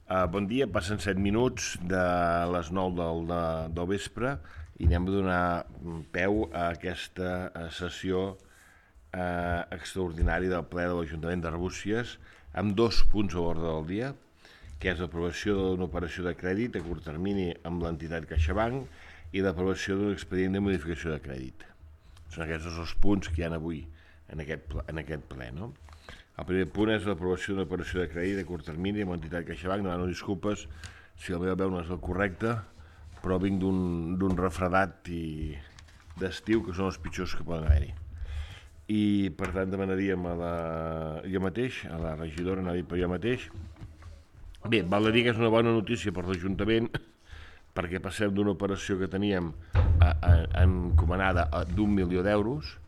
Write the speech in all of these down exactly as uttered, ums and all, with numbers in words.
Uh, bon dia, passen set minuts de les nou del, de, del vespre i anem a donar peu a aquesta uh, sessió uh, extraordinària del ple de l'Ajuntament d'Arbúcies amb dos punts a l'ordre del dia, que és l'aprovació d'una operació de crèdit a curt termini amb l'entitat CaixaBank i l'aprovació d'un expedient de modificació de crèdit. Són aquests dos punts que hi ha avui en aquest, en aquest ple, no? El primer punt és l'aprovació d'una operació de crèdit a curt termini amb l'entitat CaixaBank. Demano disculpes si la meva veu no és el correcte, però vinc d'un refredat i d'estiu que són els pitjors que poden haver-hi. I per tant demanaríem a la, jo mateix, a la regidora, anava a dir per jo mateix. Bé, val a dir que és una bona notícia per l'Ajuntament perquè passem d'una operació que teníem a, a, encomanada d'un milió d'euros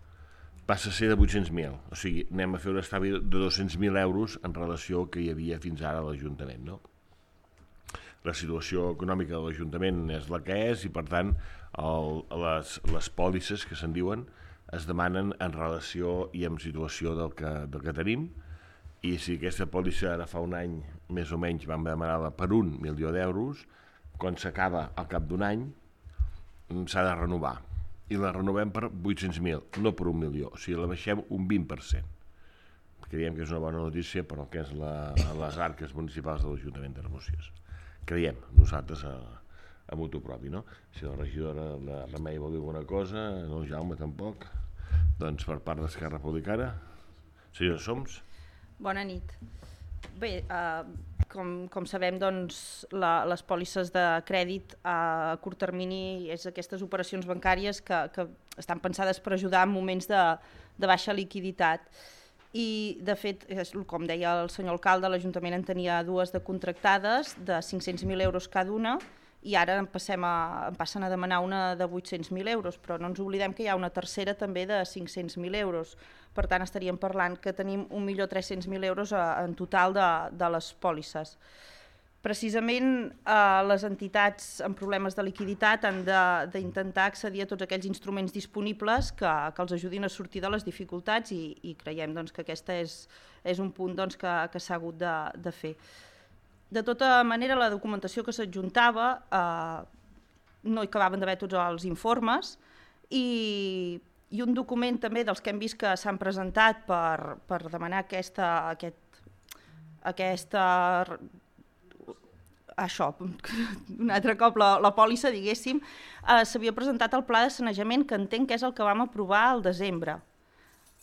passa a ser de vuit-cents mil, o sigui, anem a fer un estalvi de dos-cents mil euros en relació al que hi havia fins ara a l'Ajuntament, no? La situació econòmica de l'Ajuntament és la que és i, per tant, el, les, les pòlisses que se'n diuen es demanen en relació i en situació del que, del que tenim, i si aquesta pòlissa ara fa un any, més o menys, vam demanar-la per un milió d'euros, quan s'acaba al cap d'un any, s'ha de renovar. I la renovem per vuit-cents mil, no per un milió, o sigui, la baixem un vint per cent. Creiem que és una bona notícia per al que és la, les arques municipals de l'Ajuntament d'Arbúcies. Creiem, nosaltres a, a mutu propi, no? Si la regidora de Remei vol dir alguna cosa, no el Jaume tampoc, doncs per part d'Esquerra Republicana. Senyora Soms. Bona nit. Bé, eh, com, com sabem, doncs, la, les pòlisses de crèdit a curt termini és aquestes operacions bancàries que, que estan pensades per ajudar en moments de, de baixa liquiditat. I, de fet, com deia el senyor alcalde, l'Ajuntament en tenia dues de contractades de cinc-cents mil euros cada una i ara en, passem a, en passen a demanar una de vuit-cents mil euros, però no ens oblidem que hi ha una tercera també de cinc-cents mil euros. Per tant, estaríem parlant que tenim un milió tres-cents mil euros a, en total de, de les pòlisses. Precisament eh, les entitats amb problemes de liquiditat han d'intentar accedir a tots aquells instruments disponibles que, que els ajudin a sortir de les dificultats i, i creiem doncs, que aquest és, és un punt doncs, que, que s'ha hagut de, de fer. De tota manera, la documentació que s'adjuntava eh, no hi acabaven d'haver tots els informes i, i un document també dels que hem vist que s'han presentat per, per demanar aquesta, aquest, aquesta, això, un altre cop la, la pòlissa, diguéssim, eh, s'havia presentat el pla de sanejament, que entenc que és el que vam aprovar al desembre.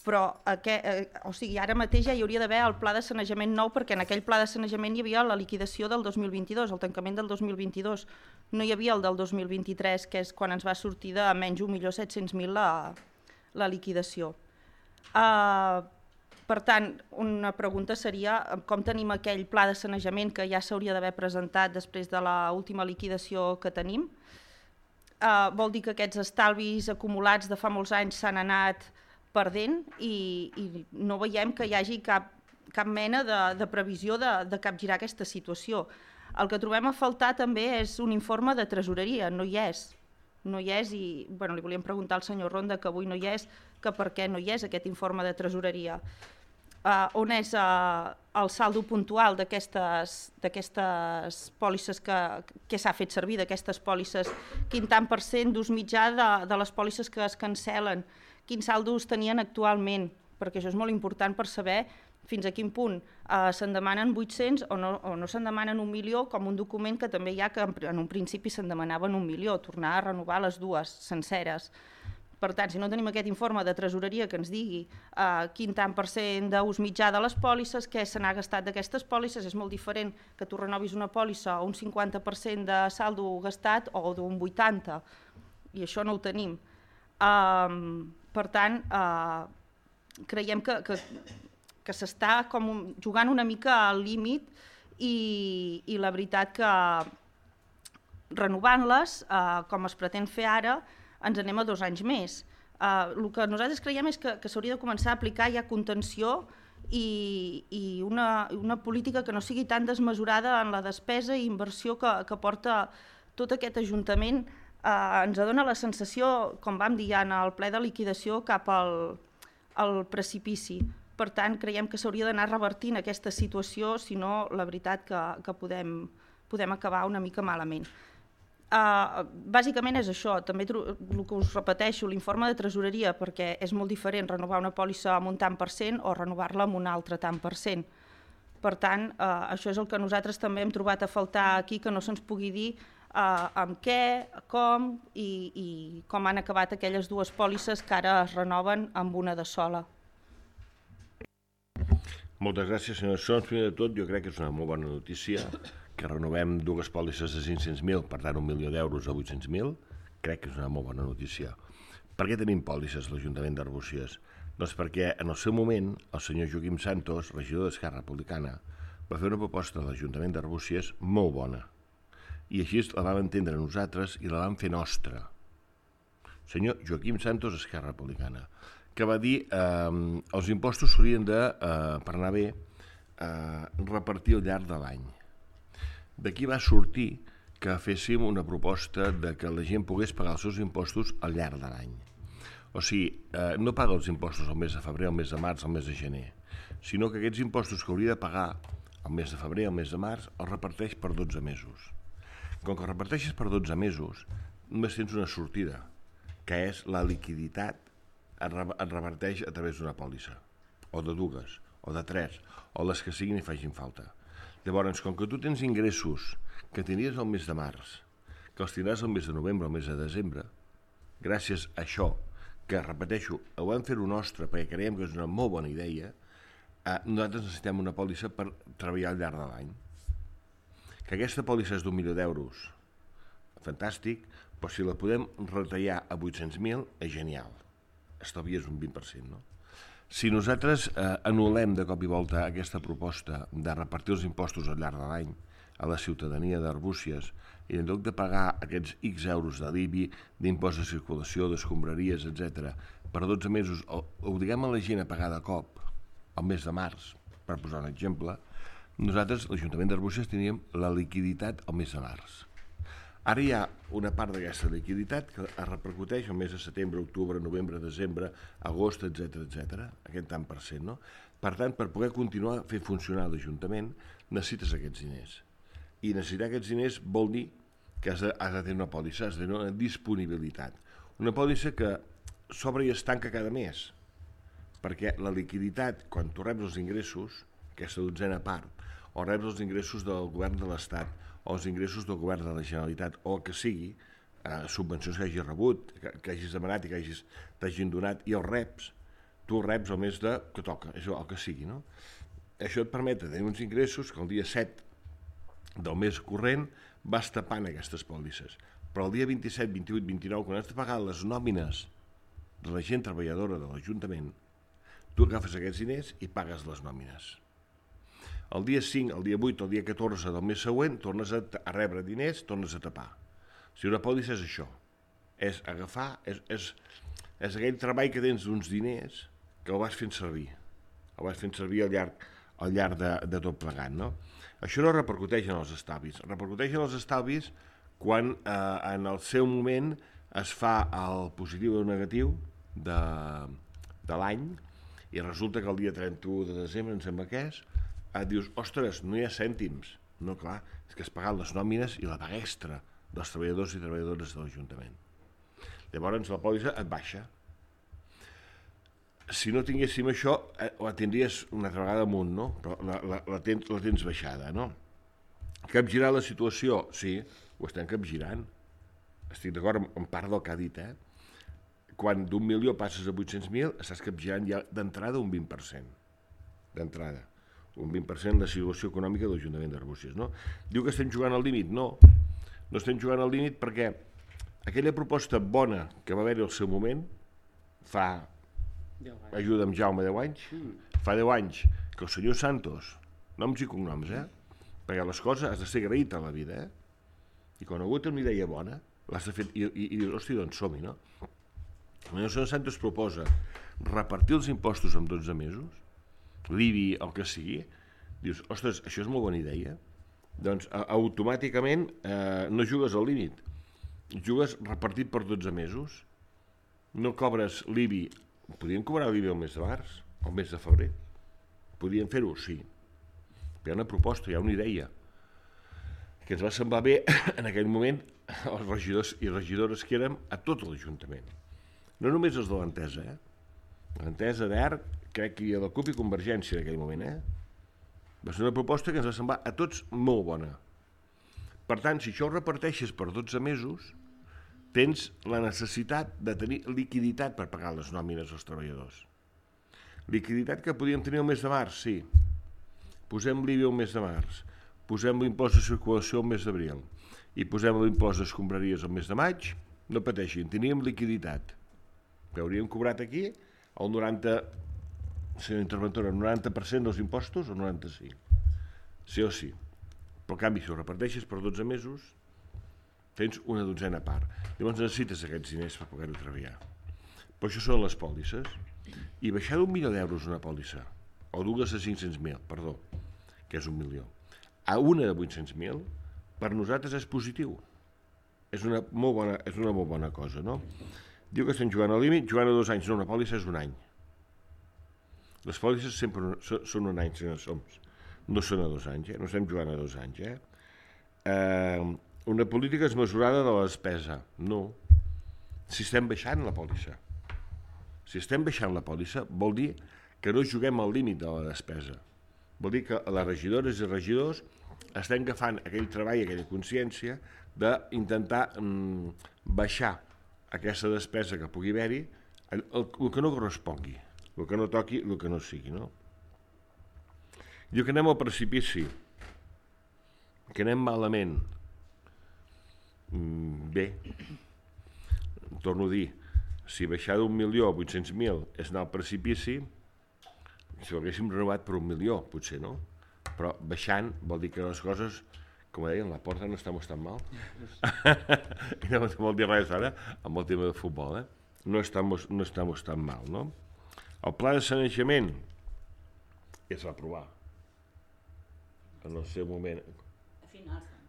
Però aquest, eh, o sigui, ara mateix ja hi hauria d'haver el pla de sanejament nou perquè en aquell pla de sanejament hi havia la liquidació del dos mil vint-i-dos, el tancament del dos mil vint-i-dos. No hi havia el del dos mil vint-i-tres, que és quan ens va sortir de menys un milió set-cents mil la, la liquidació. Uh, per tant, una pregunta seria com tenim aquell pla de sanejament que ja s'hauria d'haver presentat després de l'última liquidació que tenim. Uh, vol dir que aquests estalvis acumulats de fa molts anys s'han anat perdent i, i no veiem que hi hagi cap, cap mena de, de previsió de, de capgirar aquesta situació. El que trobem a faltar també és un informe de tresoreria, no hi és. No hi és i bueno, li volíem preguntar al senyor Ronda, que avui no hi és, que per què no hi és aquest informe de tresoreria. Uh, on és uh, el saldo puntual d'aquestes pòlisses que, que s'ha fet servir, d'aquestes pòlisses, quin tant per cent d'ús mitjà de, de les pòlisses que es cancel·len, quins saldos tenien actualment, perquè això és molt important per saber fins a quin punt eh, se'n demanen vuit-cents o no, o no se'n demanen un milió, com un document que també hi ha que en un principi se'n demanaven un milió, tornar a renovar les dues senceres. Per tant, si no tenim aquest informe de tresoreria que ens digui eh, quin tant per cent d'ús mitjà de les pòlisses, què se n'ha gastat d'aquestes pòlisses, és molt diferent que tu renovis una pòlissa a un cinquanta per cent de saldo gastat o d'un vuitanta per cent, i això no ho tenim. Um, per tant, uh, creiem que, que, que s'està com un, jugant una mica al límit i, i la veritat que renovant-les, uh, com es pretén fer ara, ens anem a dos anys més. Uh, el que nosaltres creiem és que, que s'hauria de començar a aplicar ja contenció i, i una, una política que no sigui tan desmesurada en la despesa i inversió que, que porta tot aquest Ajuntament. Uh, ens dona la sensació, com vam dir ja en el ple de liquidació, cap al, al precipici. Per tant, creiem que s'hauria d'anar revertint aquesta situació, si no, la veritat que, que podem, podem acabar una mica malament. Uh, bàsicament és això, també el que us repeteixo, l'informe de tresoreria, perquè és molt diferent renovar una pòlissa amb un tant per cent o renovar-la amb un altre tant per cent. Per tant, uh, això és el que nosaltres també hem trobat a faltar aquí, que no se'ns pugui dir uh, amb què, com i, i com han acabat aquelles dues pòlisses que ara es renoven amb una de sola. Moltes gràcies, senyor Sons. Primer de tot, jo crec que és una molt bona notícia que renovem dues pòlisses de cinc-cents mil, per tant un milió d'euros a vuit-cents mil, crec que és una molt bona notícia. Per què tenim pòlisses a l'Ajuntament d'Arbúcies? Doncs perquè en el seu moment el senyor Joaquim Santos, regidor d'Esquerra Republicana, va fer una proposta a l'Ajuntament d'Arbúcies molt bona. I així la vam entendre nosaltres i la vam fer nostra. Senyor Joaquim Santos, Esquerra Republicana, que va dir que eh, els impostos s'haurien de, eh, per anar bé, eh, repartir al llarg de l'any. D'aquí va sortir que féssim una proposta de que la gent pogués pagar els seus impostos al llarg de l'any. O sigui, eh, no paga els impostos al mes de febrer, al mes de març, al mes de gener, sinó que aquests impostos que hauria de pagar al mes de febrer, al mes de març, els reparteix per dotze mesos. Com que els reparteixes per dotze mesos, només tens una sortida, que és la liquiditat et reverteix a través d'una pòlissa, o de dues, o de tres, o les que siguin i facin falta. Llavors, com que tu tens ingressos que tenies al mes de març, que els tindràs al mes de novembre o al mes de desembre, gràcies a això, que repeteixo, ho vam fer-ho nostre perquè creiem que és una molt bona idea, eh, nosaltres necessitem una pòlissa per treballar al llarg de l'any. Que aquesta pòlissa és d'un milió d'euros, fantàstic, però si la podem retallar a vuit-cents mil, és genial. Estalvies un vint per cent, no? Si nosaltres eh, anul·lem de cop i volta aquesta proposta de repartir els impostos al llarg de l'any a la ciutadania d'Arbúcies i en lloc de pagar aquests X euros de l'I B I, d'impost de circulació, d'escombraries, etcètera, per dotze mesos, obliguem a la gent a pagar de cop al mes de març, per posar un exemple, nosaltres, l'Ajuntament d'Arbúcies, teníem la liquiditat al mes de març. Ara hi ha una part d'aquesta liquiditat que es repercuteix al mes de setembre, octubre, novembre, desembre, agost, etcètera, etcètera, aquest tant per cent, no? Per tant, per poder continuar a fer funcionar l'Ajuntament, necessites aquests diners. I necessitar aquests diners vol dir que has de, has de tenir una pòlissa, has de tenir una disponibilitat. Una pòlissa que s'obre i es tanca cada mes, perquè la liquiditat, quan tu reps els ingressos, aquesta dotzena part, o reps els ingressos del govern de l'Estat, o els ingressos del govern de la Generalitat, o que sigui, eh, subvencions que hagis rebut, que, que hagis demanat i que hagis, t'hagin donat, i els reps, tu els reps el mes de, que toca, és el que sigui, no? Això et permet tenir uns ingressos que el dia set del mes corrent vas tapant aquestes pòlisses. Però el dia vint-i-set, vint-i-vuit, vint-i-nou, quan has de pagar les nòmines de la gent treballadora de l'Ajuntament, tu agafes aquests diners i pagues les nòmines. El dia cinc, el dia vuit, el dia catorze del mes següent tornes a, a rebre diners, tornes a tapar. O sigui, una pòlissa és això, és agafar, és, és, és aquell treball que tens d'uns diners que el vas fent servir, el vas fent servir al llarg, al llarg de, de tot plegat, no? Això no repercuteix en els estalvis, repercuteix en els estalvis quan eh, en el seu moment es fa el positiu o el negatiu de, de l'any i resulta que el dia trenta-u de desembre, em sembla que és, et dius, ostres, no hi ha cèntims. No, clar, és que has pagat les nòmines i la paga extra dels treballadors i treballadores de l'Ajuntament. Llavors la pòlissa et baixa. Si no tinguéssim això, la tindries una altra vegada amunt, no? Però la, la, la, tens, la tens baixada, no? Capgirar la situació? Sí, ho estem capgirant. Estic d'acord amb, amb part del que ha dit, eh? Quan d'un milió passes a vuit-cents mil, estàs capgirant ja d'entrada un vint per cent. D'entrada. Un vint per cent de la situació econòmica de l'Ajuntament d'Arbúcies, no? Diu que estem jugant al límit? No, no estem jugant al límit perquè aquella proposta bona que va haver-hi al seu moment, fa, ajuda'm Jaume, deu anys, fa deu anys que el senyor Santos, noms i cognoms, eh? Perquè les coses has de ser agraït a la vida, eh? I quan algú té una idea bona, l'has de fer, i, i, i dius, hòstia, doncs som-hi, no? El senyor Santos proposa repartir els impostos en dotze mesos, l'I B I, el que sigui, dius, ostres, això és molt bona idea. Doncs automàticament eh, no jugues al límit, jugues repartit per dotze mesos. No cobres l'I B I, podríem cobrar l'I B I el mes de març, el mes de febrer, podien fer-ho? Sí. Hi ha una proposta, hi ha una idea, que ens va semblar bé en aquell moment els regidors i regidores que érem a tot l'Ajuntament. No només els de l'Entesa, eh? L'Entesa, d'E R, crec que hi ha la CUP i Convergència en aquell moment, eh? Va ser una proposta que ens va semblar a tots molt bona. Per tant, si això ho reparteixes per dotze mesos, tens la necessitat de tenir liquiditat per pagar les nòmines als treballadors. Liquiditat que podíem tenir el mes de març, sí. Posem l'I B I el mes de març, posem l'impost de circulació el mes d'abril i posem l'impost d'escombraries el mes de maig, no pateixin, teníem liquiditat. Que hauríem cobrat aquí el noranta, senyora interventora, el noranta per cent dels impostos o el noranta-cinc? Sí o sí. Però, en canvi, si ho reparteixes per dotze mesos, tens una dotzena part. Llavors necessites aquests diners per poder-ho treballar. Però això són les pòlisses. I baixar d'un milió d'euros una pòlissa, o dues a cinc-cents mil, perdó, que és un milió, a una de vuit-cents mil, per nosaltres és positiu. És una molt bona, és una molt bona cosa, no? Diu que estem jugant al límit, jugant a dos anys, no, una pòlissa és un any. Les pòlisses sempre són un any, senyors Soms. No són a dos anys, eh? No estem jugant a dos anys, eh? eh una política desmesurada de la despesa. No. Si estem baixant la pòlissa. Si estem baixant la pòlissa, vol dir que no juguem al límit de la despesa. Vol dir que les regidores i regidors estem agafant aquell treball, aquella consciència d'intentar mm, baixar aquesta despesa que pugui haver-hi, el, el, el que no correspongui, el que no toqui, el que no sigui, no? Diu que anem al precipici, que anem malament. Mm, bé, torno a dir, si baixar d'un milió a vuit-cents mil és anar al precipici, si ho haguéssim renovat per un milió, potser no, però baixant vol dir que les coses, com deien, la porta no estem tan mal. I no vol dir res ara amb el tema de futbol, eh? No estamos, no estamos tan mal, no? El pla de sanejament ja es va aprovar en el seu moment.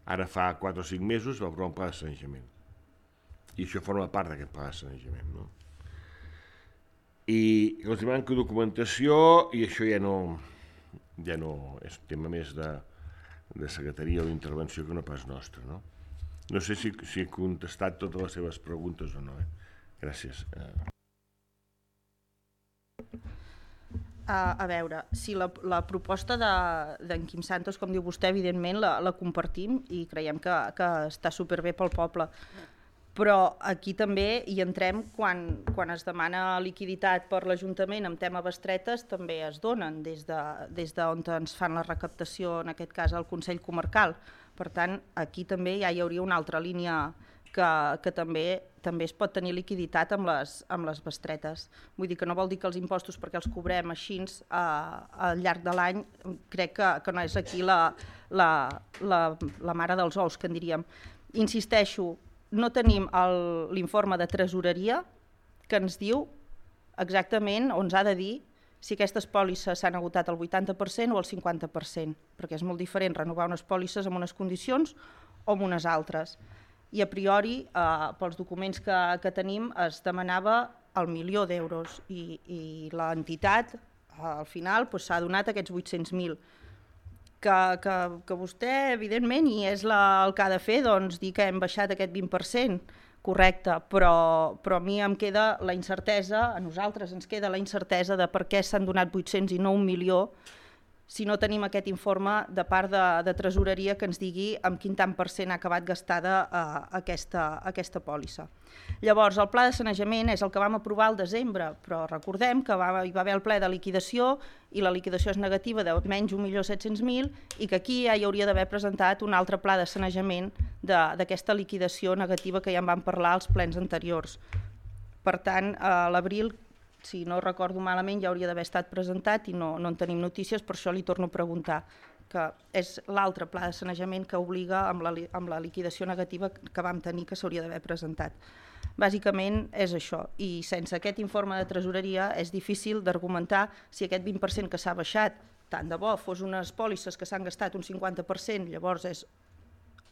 Ara fa quatre o cinc mesos va aprovar un pla de sanejament. I això forma part d'aquest pla de sanejament, no? I els manca documentació i això ja no, ja no és un tema més de, de secretaria o d'intervenció que no pas nostre, no? No sé si, si he contestat totes les seves preguntes o no, eh? Gràcies. A, a veure, si la, la proposta d'en de, Quim Santos, com diu vostè, evidentment la, la compartim i creiem que, que està superbé pel poble. Però aquí també hi entrem quan, quan es demana liquiditat per l'Ajuntament amb tema bestretes, també es donen des de, des d'on ens fan la recaptació, en aquest cas el Consell Comarcal. Per tant, aquí també ja hi hauria una altra línia que, que també, també es pot tenir liquiditat amb les, amb les bestretes. Vull dir que no vol dir que els impostos, perquè els cobrem així a, al llarg de l'any, crec que, que no és aquí la, la, la, la mare dels ous, que en diríem. Insisteixo, no tenim l'informe de tresoreria que ens diu exactament, o ens ha de dir, si aquestes pòlisses s'han agotat al vuitanta per cent o al cinquanta per cent, perquè és molt diferent renovar unes pòlisses amb unes condicions o amb unes altres. I a priori, eh, pels documents que, que tenim, es demanava el milió d'euros i, i l'entitat, eh, al final, s'ha doncs, donat aquests vuit-cents mil. Que, que, que vostè, evidentment, i és la, el que ha de fer, doncs, dir que hem baixat aquest vint per cent, correcte, però, però a mi em queda la incertesa, a nosaltres ens queda la incertesa de per què s'han donat vuit-cents i no un milió, si no tenim aquest informe de part de, de tresoreria que ens digui amb quin tant per cent ha acabat gastada eh, aquesta, aquesta pòlissa. Llavors, el pla de sanejament és el que vam aprovar al desembre, però recordem que va, hi va haver el ple de liquidació i la liquidació és negativa de menys un milió set-cents mil i que aquí ja hi hauria d'haver presentat un altre pla de sanejament d'aquesta liquidació negativa que ja en vam parlar als plens anteriors. Per tant, a l'abril, si no recordo malament, ja hauria d'haver estat presentat i no, no en tenim notícies, per això li torno a preguntar, que és l'altre pla de sanejament que obliga amb la, amb la liquidació negativa que vam tenir que s'hauria d'haver presentat. Bàsicament és això, i sense aquest informe de tresoreria és difícil d'argumentar si aquest vint per cent que s'ha baixat, tant de bo fos unes pòlisses que s'han gastat un cinquanta per cent, llavors és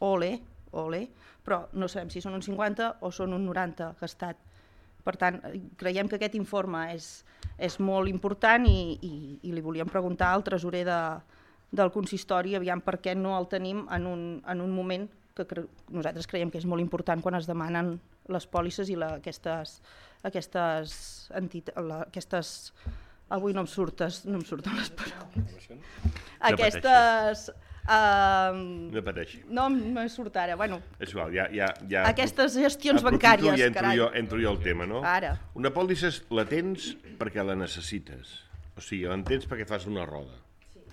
ole, ole, però no sabem si són un cinquanta o són un noranta gastat. Per tant, creiem que aquest informe és, és molt important i, i, i li volíem preguntar al tresorer de, del consistori aviam per què no el tenim en un, en un moment que cre nosaltres creiem que és molt important quan es demanen les pòlisses i la, aquestes, aquestes, la, aquestes... Avui no em surtes, no em surten les paraules. Aquestes... Uh, no pateixi. No me surt ara, bueno. És igual, ja... ja, ja aquestes gestions bancàries, ja entro carai. Jo, entro jo al tema, no? Ara. Una pòlissa la tens perquè la necessites. O sigui, la tens perquè fas una roda. Sí.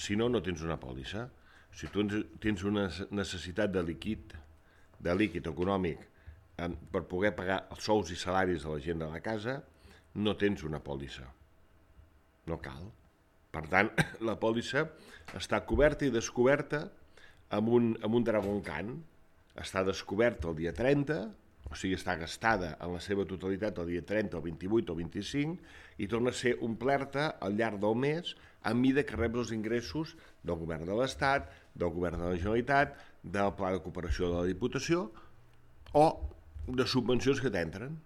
Si no, no tens una pòlissa. Si tu tens una necessitat de líquid, de líquid econòmic, eh, per poder pagar els sous i salaris de la gent de la casa, no tens una pòlissa. No cal. Per tant, la pòlissa està coberta i descoberta amb un, amb un Dragon Can. Està descoberta el dia trenta, o sigui, està gastada en la seva totalitat el dia trenta, o vint-i-vuit o vint-i-cinc, i torna a ser omplerta al llarg del mes a mida que reps els ingressos del govern de l'Estat, del govern de la Generalitat, del Pla de Cooperació de la Diputació o de subvencions que t'entren.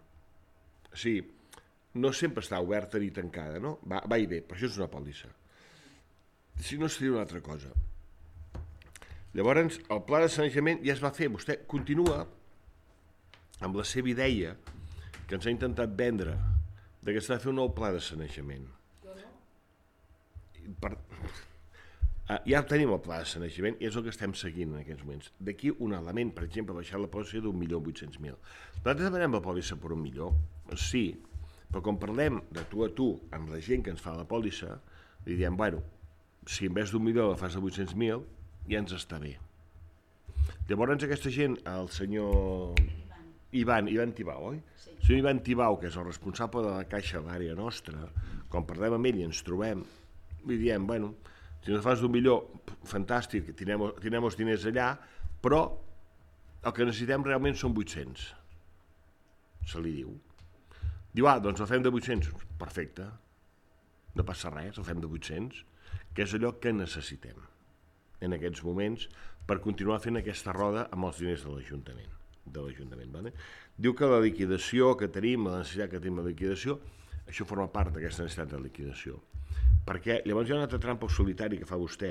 O sigui, no sempre està oberta ni tancada, no? Va, va i ve, per això és una pòlissa. Si no, seria una altra cosa. Llavors, el pla de sanejament ja es va fer. Vostè continua amb la seva idea que ens ha intentat vendre de que s'ha de fer un nou pla de sanejament. Jo no. Per... Ja tenim el pla de sanejament i és el que estem seguint en aquests moments. D'aquí un element, per exemple, baixar la pòlissa d'un milió vuit-cents mil. Nosaltres demanem la pòlissa per un milió, sí, però quan parlem de tu a tu amb la gent que ens fa la pòlissa, li diem, bueno, si en vez d'un milió la fas de vuit-cents mil, ja ens està bé. Llavors aquesta gent, el senyor Ivan, Ivan Tibau, oi? Sí. El senyor Ivan Tibau, que és el responsable de la caixa a l'àrea nostra, quan parlem amb ell i ens trobem, li diem, bueno, si no fas d'un milió, fantàstic, tindrem, tindrem els diners allà, però el que necessitem realment són vuit-cents. Se li diu. Diu, ah, doncs el fem de vuit-cents. Perfecte. No passa res, el fem de vuit-cents. Que és allò que necessitem en aquests moments per continuar fent aquesta roda amb els diners de l'Ajuntament. De l'Ajuntament, vale? Diu que la liquidació que tenim, la necessitat que tenim de liquidació, això forma part d'aquesta necessitat de liquidació. Perquè llavors hi ha una altra trampa solitari que fa vostè,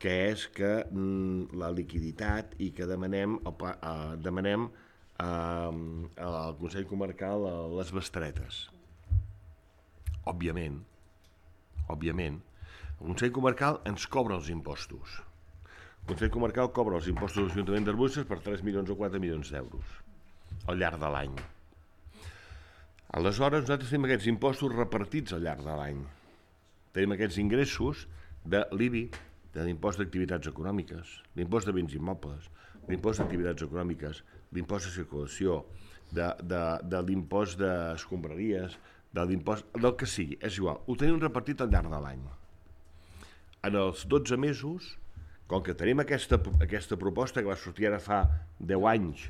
que és que mm, la liquiditat i que demanem, el, eh, demanem eh, al Consell Comarcal eh, les bestretes. Òbviament, òbviament, el Consell Comarcal ens cobra els impostos. El Consell Comarcal cobra els impostos de l'Ajuntament d'Arbúcies per tres milions o quatre milions d'euros al llarg de l'any. Aleshores, nosaltres tenim aquests impostos repartits al llarg de l'any. Tenim aquests ingressos de l'I B I, de l'impost d'activitats econòmiques, l'impost de béns immobles, l'impost d'activitats econòmiques, l'impost de circulació, de, de, de l'impost d'escombraries, de l'impost, del que sigui, és igual. Ho tenim repartit al llarg de l'any. En els dotze mesos, com que tenim aquesta, aquesta proposta que va sortir ara fa deu anys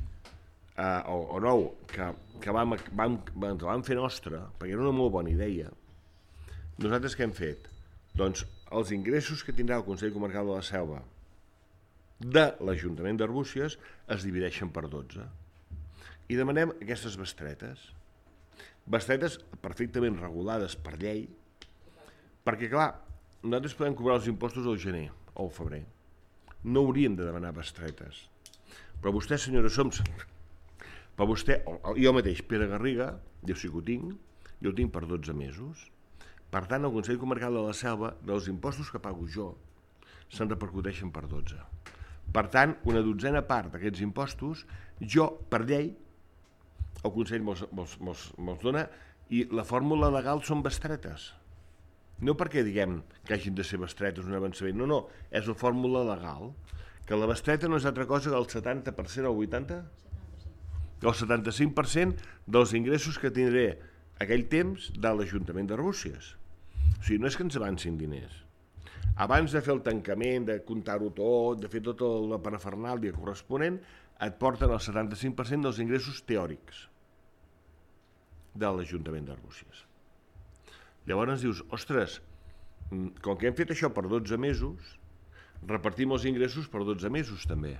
eh, o, o nou, que, que vam, vam, vam, vam fer nostra, perquè era una molt bona idea, nosaltres què hem fet? Doncs els ingressos que tindrà el Consell Comarcal de la Selva de l'Ajuntament d'Arbúcies es divideixen per dotze. I demanem aquestes bestretes. Bestretes perfectament regulades per llei, perquè, clar, nosaltres podem cobrar els impostos al gener o al febrer. No hauríem de demanar bestretes. Però vostè, senyora Soms, però vostè, jo mateix, Pere Garriga, jo sí que ho tinc, jo ho tinc per dotze mesos. Per tant, el Consell Comarcal de la Selva, dels impostos que pago jo, se'n repercuteixen per dotze. Per tant, una dotzena part d'aquests impostos, jo, per llei, el Consell me'ls, me'ls, me'ls, me'ls dona i la fórmula legal són bestretes. No perquè diguem que hagin de ser bestretes un avançament, no, no, és la fórmula legal, que la bestreta no és altra cosa que el setanta per cent o el vuitanta per cent? El setanta-cinc per cent dels ingressos que tindré aquell temps de l'Ajuntament d'Arbúcies. O sigui, no és que ens avancin diners. Abans de fer el tancament, de comptar-ho tot, de fer tota la parafernàlia corresponent, et porten el setanta-cinc per cent dels ingressos teòrics de l'Ajuntament d'Arbúcies. Llavors ens dius, ostres, com que hem fet això per dotze mesos, repartim els ingressos per dotze mesos també.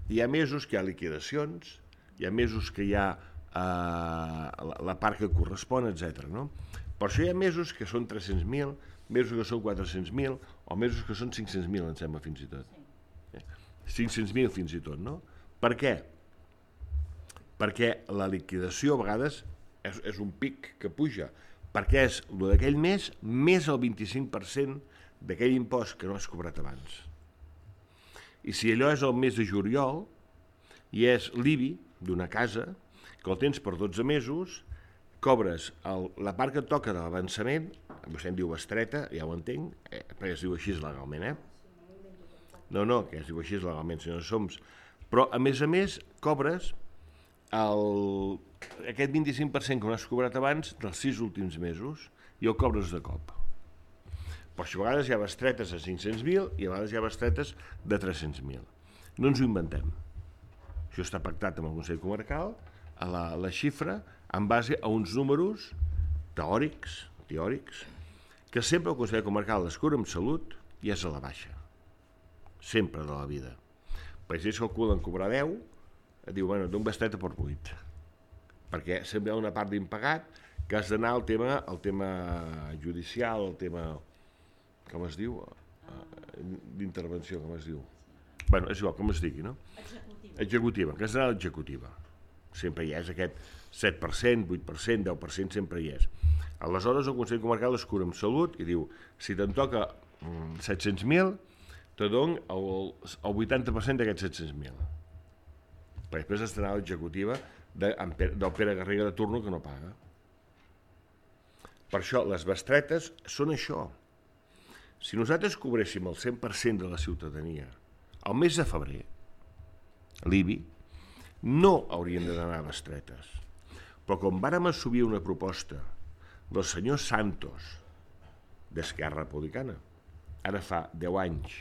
Hi ha mesos que hi ha liquidacions, hi ha mesos que hi ha la, la part que correspon, etcètera. No? Per això hi ha mesos que són tres-cents mil, mesos que són quatre-cents mil, o mesos que són cinc-cents mil, em sembla, fins i tot. cinc-cents mil fins i tot, no? Per què? Perquè la liquidació a vegades és, és un pic que puja, perquè és el d'aquell mes més el vint-i-cinc per cent d'aquell impost que no has cobrat abans. I si allò és el mes de juliol i és l'I B I d'una casa, que el tens per dotze mesos, cobres el, la part que et toca de l'avançament, vostè en diu bestreta, ja ho entenc, eh, perquè es diu així legalment, eh? No, no, que es diu així legalment, senyor Soms. Però, a més a més, cobres el, aquest vint-i-cinc per cent que no has cobrat abans dels sis últims mesos i el cobres de cop. Però això a vegades hi ha bestretes de cinc-cents mil i a vegades hi ha bestretes de tres-cents mil. No ens ho inventem. Això està pactat amb el Consell Comarcal, a la, la xifra, en base a uns números teòrics, teòrics, que sempre el Consell Comarcal les cura amb salut i és a la baixa. Sempre de la vida. Perquè si ells calculen cobrar deu, et diu, bueno, d'un bestreta per vuit. Perquè sempre hi ha una part d'impagat que has d'anar al tema, al tema judicial, al tema, com es diu? D'intervenció, com es diu? Bueno, és igual, com es digui, no? Executiva. Executiva, que has d'anar a l'executiva. Sempre hi és aquest set per cent, vuit per cent, deu per cent, sempre hi és. Aleshores, el Consell Comarcal es cura amb salut i diu, si te'n toca mm, set-cents mil, te dono el, el vuitanta per cent d'aquests set-cents mil. Perquè després has d'anar a l'executiva de, del Pere Garriga de turno que no paga. Per això, les bestretes són això. Si nosaltres cobréssim el cent per cent de la ciutadania al mes de febrer, l'I B I, no haurien d'anar a bestretes. Però com vàrem assumir una proposta del senyor Santos d'Esquerra Republicana, ara fa deu anys,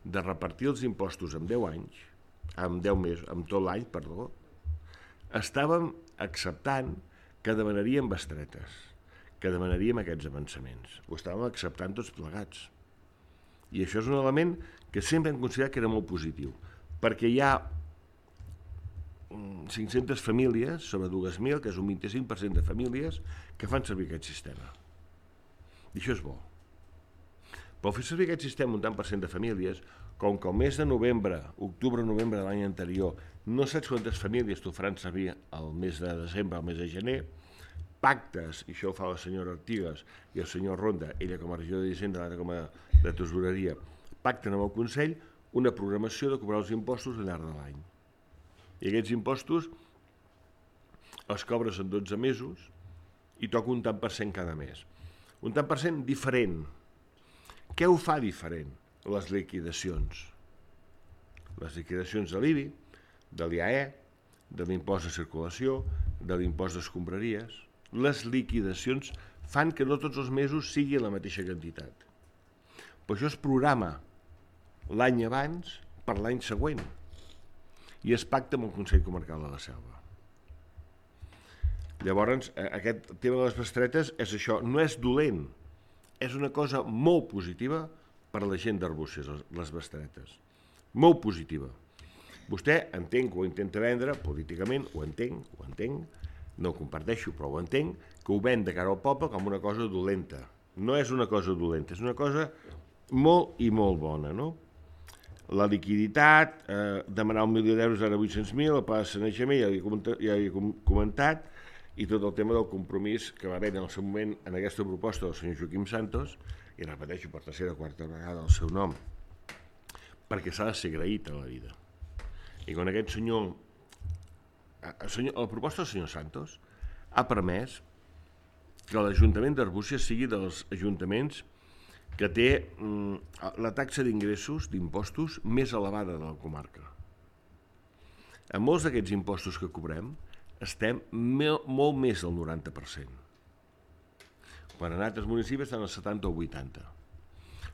de repartir els impostos en deu anys, amb deu mesos, amb tot l'any, perdó, estàvem acceptant que demanaríem bestretes, que demanaríem aquests avançaments. Ho estàvem acceptant tots plegats. I això és un element que sempre hem considerat que era molt positiu, perquè hi ha cinc-centes famílies, sobre dues mil, que és un vint-i-cinc per cent de famílies, que fan servir aquest sistema. I això és bo. Però fer servir aquest sistema un tant per cent de famílies, com que el mes de novembre, octubre-novembre de l'any anterior, no saps quantes famílies t'ho faran servir el mes de desembre, el mes de gener, pactes, i això ho fa la senyora Artigas i el senyor Ronda, ella com a regidor d'Hisenda, l'altra com a de tesoreria, pacten amb el Consell una programació de cobrar els impostos al llarg de l'any. I aquests impostos els cobres en dotze mesos i toca un tant per cent cada mes. Un tant per cent diferent. Què ho fa diferent? Les liquidacions. Les liquidacions de l'I B I, de l'I A E, de l'impost de circulació, de l'impost d'escombraries. Les liquidacions fan que no tots els mesos sigui la mateixa quantitat. Però això es programa l'any abans per l'any següent i es pacta amb el Consell Comarcal de la Selva. Llavors, aquest tema de les bestretes és això, no és dolent, és una cosa molt positiva per a la gent d'Arbúcies, les bestretes. Molt positiva. Vostè entenc que ho intenta vendre políticament, ho entenc, ho entenc, no ho comparteixo, però ho entenc, que ho ven de cara al poble com una cosa dolenta. No és una cosa dolenta, és una cosa molt i molt bona, no? La liquiditat, eh, demanar un milió d'euros ara vuit-cents mil, el pla de sanejament, ja ja he comentat, i tot el tema del compromís que va haver en el seu moment en aquesta proposta del senyor Joaquim Santos, i repeteixo per tercera o quarta vegada el seu nom, perquè s'ha de ser agraït a la vida. I quan aquest senyor, el senyor, la proposta del senyor Santos ha permès que l'Ajuntament d'Arbúcies sigui dels ajuntaments que té mm, la taxa d'ingressos, d'impostos, més elevada de la comarca. En molts d'aquests impostos que cobrem estem molt més del noranta per cent. Quan en altres municipis estan al setanta o vuitanta.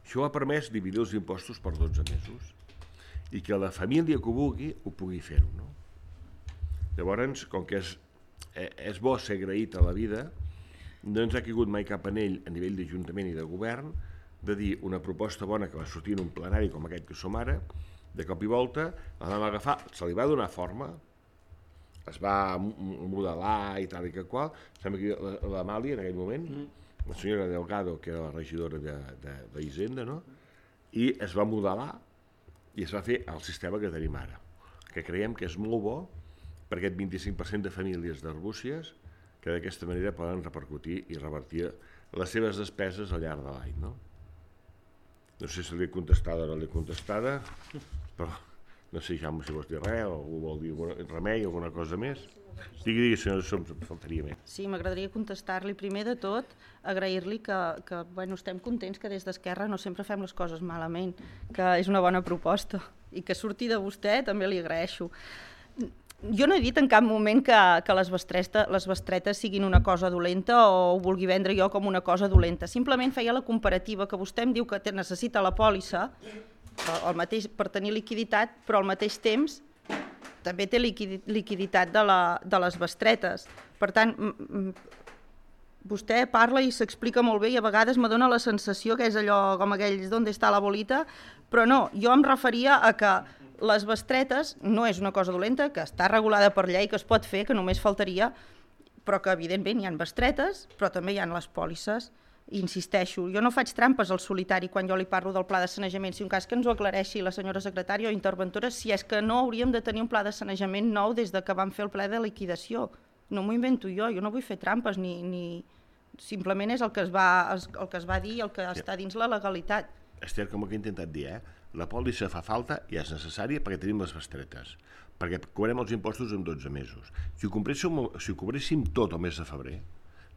Això ha permès dividir els impostos per dotze mesos i que la família que ho vulgui ho pugui fer-ho. No? Llavors, com que és, és bo ser agraït a la vida, no ens ha caigut mai cap anell a nivell d'Ajuntament i de Govern de dir una proposta bona que va sortir en un plenari com aquest que som ara, de cop i volta, la vam agafar, se li va donar forma es va modelar i tal i que qual. Sembla que l'Amàlia, en aquell moment, la senyora Delgado, que era la regidora d'Hisenda, no? I es va modelar i es va fer el sistema que tenim ara, que creiem que és molt bo per aquest vint-i-cinc per cent de famílies d'Arbúcies que d'aquesta manera poden repercutir i revertir les seves despeses al llarg de l'any, no? No sé si l'he contestada o no l'he contestada, però no sé, Jaume, si vols dir res o algú vol dir remei o alguna cosa més. Digui, digui, si no som, faltaria més. Sí, m'agradaria contestar-li. Primer de tot, agrair-li que, que bueno, estem contents que des d'Esquerra no sempre fem les coses malament, que és una bona proposta i que surti de vostè també li agraeixo. Jo no he dit en cap moment que, que les, bestretes, les bestretes siguin una cosa dolenta o ho vulgui vendre jo com una cosa dolenta. Simplement feia la comparativa que vostè em diu que necessita la pòlissa el mateix, per tenir liquiditat, però al mateix temps també té liquiditat de, la, de les bestretes. Per tant, vostè parla i s'explica molt bé i a vegades me dona la sensació que és allò com aquells d'on està la bolita, però no, jo em referia a que les bestretes no és una cosa dolenta, que està regulada per llei, que es pot fer, que només faltaria, però que evidentment hi ha bestretes, però també hi ha les pòlisses. Insisteixo, jo no faig trampes al solitari quan jo li parlo del pla de sanejament, si un cas que ens ho aclareixi la senyora secretària o interventora, si és que no hauríem de tenir un pla de sanejament nou des de que vam fer el ple de liquidació. No m'ho invento jo, jo no vull fer trampes, ni, ni... simplement és el que es va, el que es va dir i el que està dins la legalitat. Esther, com que he intentat dir, eh? La pòlissa fa falta i és necessària perquè tenim les bestretes, perquè cobrem els impostos en dotze mesos. Si ho cobréssim, si ho cobréssim tot el mes de febrer,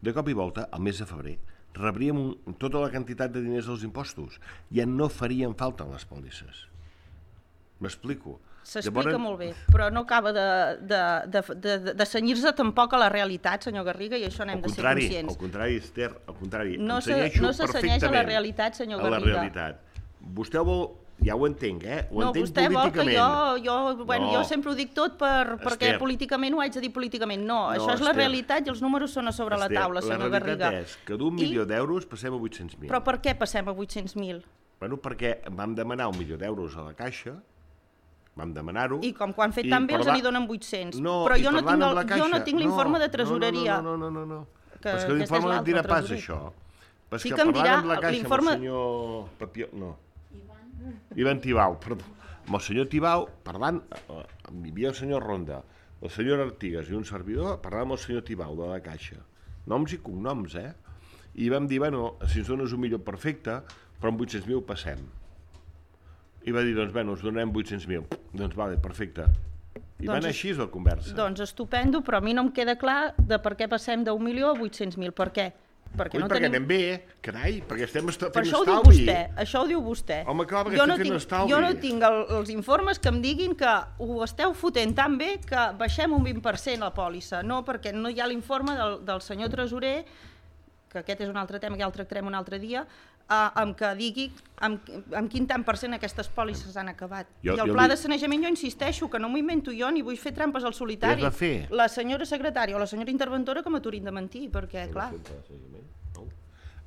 de cop i volta, al mes de febrer, rebríem un, tota la quantitat de diners dels impostos. Ja no farien falta les pòlisses. M'explico? S'explica Llavors... molt bé, però no acaba de, de, de, de, de cenyir-se tampoc a la realitat, senyor Garriga, i això n'hem de ser conscients. Al contrari, Esther, al contrari. No se, no se cenyeix a la realitat, senyor Garriga. A la realitat. Vostè vol... Ja ho entenc, eh? Ho no, entenc vostè vol que jo... Jo, bueno, no. jo sempre ho dic tot per, perquè Esther. políticament ho haig de dir políticament. No, no això és la Esther. realitat i els números són a sobre Esther, la taula, senyor Garriga. La realitat és que d'un milió I... d'euros passem a vuit-cents mil. Però per què passem a vuit-cents mil? Bueno, perquè vam demanar un milió d'euros a la Caixa, vam demanar-ho... I com que ho han fet tan bé, parla... els n'hi donen vuit-cents. No, però jo no, tinc el, Caixa... jo no tinc l'informe no, de tresoreria. No, no, no, no, no. no. Que, Però és que l'informe no et dirà pas això. Però és sí que, que em dirà amb la Caixa, l'informe... amb el senyor Papió... No. Ivan Tibau, perdó. Amb el senyor Tibau, parlant, hi havia el senyor Ronda, el senyor Artigas i un servidor, parlant amb el senyor Tibau de la Caixa. Noms i cognoms, eh? I vam dir, bueno, si ens dones un milió perfecte, però amb vuit-cents mil passem. I va dir, doncs, bueno, us donarem vuit-cents mil. Doncs, vale, perfecte. I doncs, van així la conversa. Doncs estupendo, però a mi no em queda clar de per què passem d'un milió a vuit-cents mil. Per què? Perquè, Ui, no perquè tenim... anem bé, carai, perquè estem fent per això estalvi. Ho diu vostè, això ho diu vostè. Home, clar, perquè jo estem no fent tinc, estalvi. Jo no tinc el, els informes que em diguin que ho esteu fotent tan bé que baixem un vint per cent la pòlissa. No, perquè no hi ha l'informe del, del senyor tresorer, que aquest és un altre tema que ja el tractarem un altre dia, eh, amb que digui amb, amb quin tant per cent aquestes pòlisses han acabat. Jo, I el pla li... de sanejament, jo insisteixo, que no m'ho invento jo, ni vull fer trampes al solitari. Què has de fer? La senyora secretària o la senyora interventora que m'aturin de mentir, perquè, clar...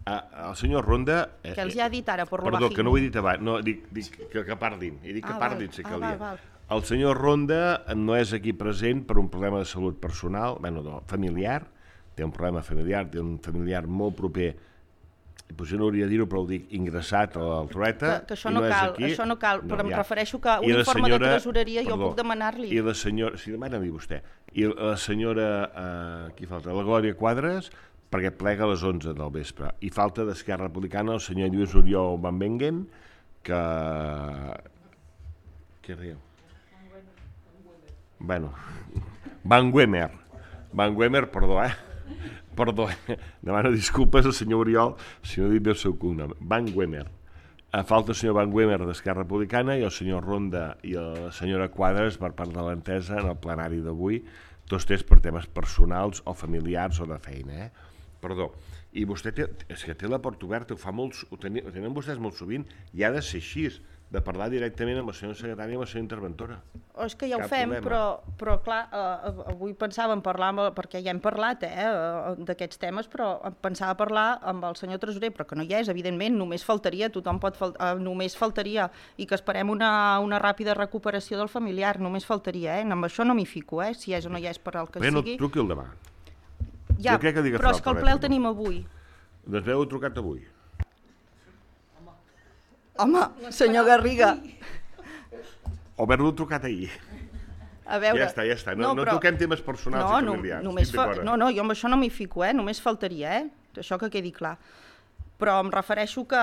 Uh, el senyor Ronda... Eh, que els ha dit ara, per lo Perdó, bajini. que no ho he dit abans, no, dic, dic que, que parlin, he dit que ah, parlin, val. si ah, calia. val, val. El senyor Ronda no és aquí present per un problema de salut personal, bueno, no, familiar, té un problema familiar, té un familiar molt proper, potser no hauria de dir-ho, però ho dic, ingressat al Trueta, que, que això no, no cal, aquí. això no cal, però no, em ja. refereixo que un informe senyora, de tresoreria perdó, jo puc demanar-li. I la senyora, si demana-li vostè, i la senyora, eh, qui falta, la Glòria Quadres, perquè plega a les onze del vespre. I falta d'Esquerra Republicana el senyor Lluís Oriol Van Bengen, que... Què riu? Bueno, Van Wemer. Van Wemer, perdó, eh? Perdó, eh? Demano disculpes al senyor Oriol si no he dit bé el seu cognom. Van Wemer. Falta el senyor Van Wemer d'Esquerra Republicana i el senyor Ronda i la senyora Quadres per part de l'entesa en el plenari d'avui, tots tres per temes personals o familiars o de feina, eh? Perdó, i vostè té, és que té la porta oberta, ho fa molts, ho, tenen, ho tenen vostès molt sovint, i ha de ser així, de parlar directament amb la senyora secretària i amb la senyora interventora. O és que ja ho fem, però, però clar, eh, avui pensava en parlar, amb, perquè ja hem parlat eh, d'aquests temes, però pensava parlar amb el senyor tresorer, però que no hi és, evidentment, només faltaria, tothom pot fal eh, només faltaria, i que esperem una, una ràpida recuperació del familiar, només faltaria, eh? Amb això no m'hi fico, eh? Si és o no hi és per al que Bé, sigui. no truqui el demà. Ja, que però és que el ple el tenim avui. Doncs m'heu trucat avui. Home, senyor Garriga. O haver-lo trucat ahir. A veure... Ja està, ja està. No, no, però... no toquem temes personals no, i familiars. No, fa... no, no, jo amb això no m'hi fico, eh? Només faltaria, eh? Això que quedi clar. Però em refereixo que,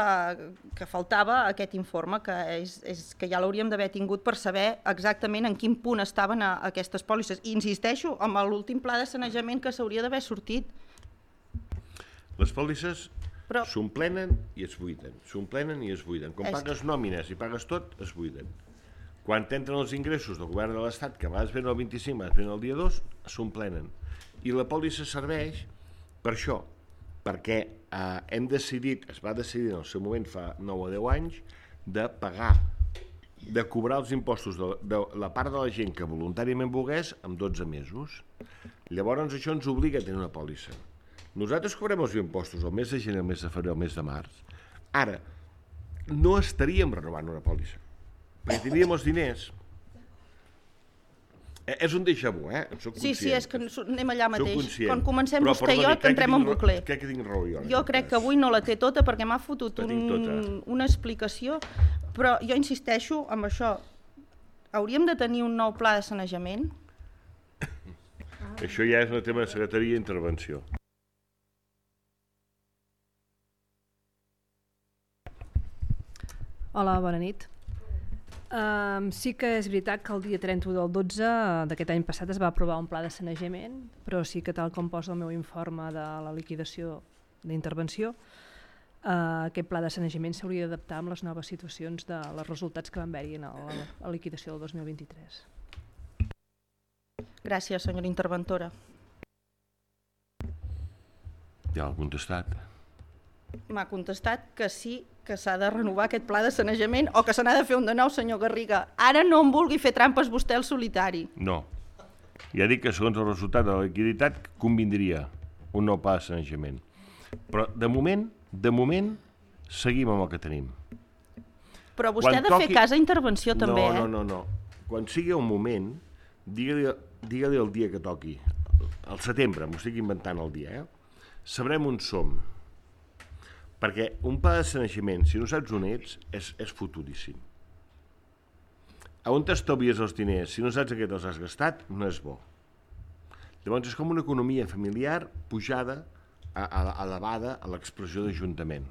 que faltava aquest informe, que, és, és, que ja l'hauríem d'haver tingut per saber exactament en quin punt estaven a, a aquestes pòlisses. I insisteixo, amb l'últim pla de sanejament que s'hauria d'haver sortit. Les pòlisses Però... s'omplenen i es buiden, s'omplenen i es buiden. Quan és... pagues nòmines i pagues tot, es buiden. Quan t'entren els ingressos del govern de l'Estat, que a vegades venen el vint-i-cinc, a vegades venen el dia dos, s'omplenen. I la pòlissa serveix per això, perquè eh, hem decidit, es va decidir en el seu moment fa nou o deu anys, de pagar, de cobrar els impostos de, de la part de la gent que voluntàriament volgués amb dotze mesos. Llavors això ens obliga a tenir una pòlissa. Nosaltres cobrem els impostos el mes de gener, el mes de febrer, el mes de març. Ara, no estaríem renovant una pòlissa, perquè tindríem els diners. Eh, és un déjà vu, eh? En soc sí, conscient. sí, és que anem allà mateix. Quan comencem Però, vostè i perdoni, jo, que entrem en bucle. Crec que tinc raó jo. Jo crec que avui no la té tota perquè m'ha fotut un, tota. una explicació, però jo insisteixo amb això. Hauríem de tenir un nou pla de sanejament? Això ja és un tema de secretaria i intervenció. Hola, bona nit. Um, sí que és veritat que el dia trenta-u del dotze d'aquest any passat es va aprovar un pla de sanejament, però sí que tal com posa el meu informe de la liquidació d'intervenció, uh, aquest pla de sanejament s'hauria d'adaptar amb les noves situacions de els resultats que van haver-hi en la, la liquidació del dos mil vint-i-tres. Gràcies, senyora interventora. Ja l'ha contestat. M'ha contestat que sí, que s'ha de renovar aquest pla de sanejament o que se n'ha de fer un de nou, senyor Garriga. Ara no em vulgui fer trampes vostè al solitari. No. Ja dic que segons el resultat de la liquiditat convindria un nou pla de sanejament. Però de moment, de moment, seguim amb el que tenim. Però vostè Quan ha de toqui... fer cas a intervenció també, no, eh? No, no, no. Quan sigui un moment, digue-li digue el dia que toqui. Al setembre, m'ho estic inventant el dia, eh? Sabrem on som. Perquè un pla de sanejament, si no saps on ets, és, és futuríssim. A on t'estalvies els diners? Si no saps a què te'ls has gastat, no és bo. Llavors és com una economia familiar pujada, a, a, elevada a l'expressió d'Ajuntament.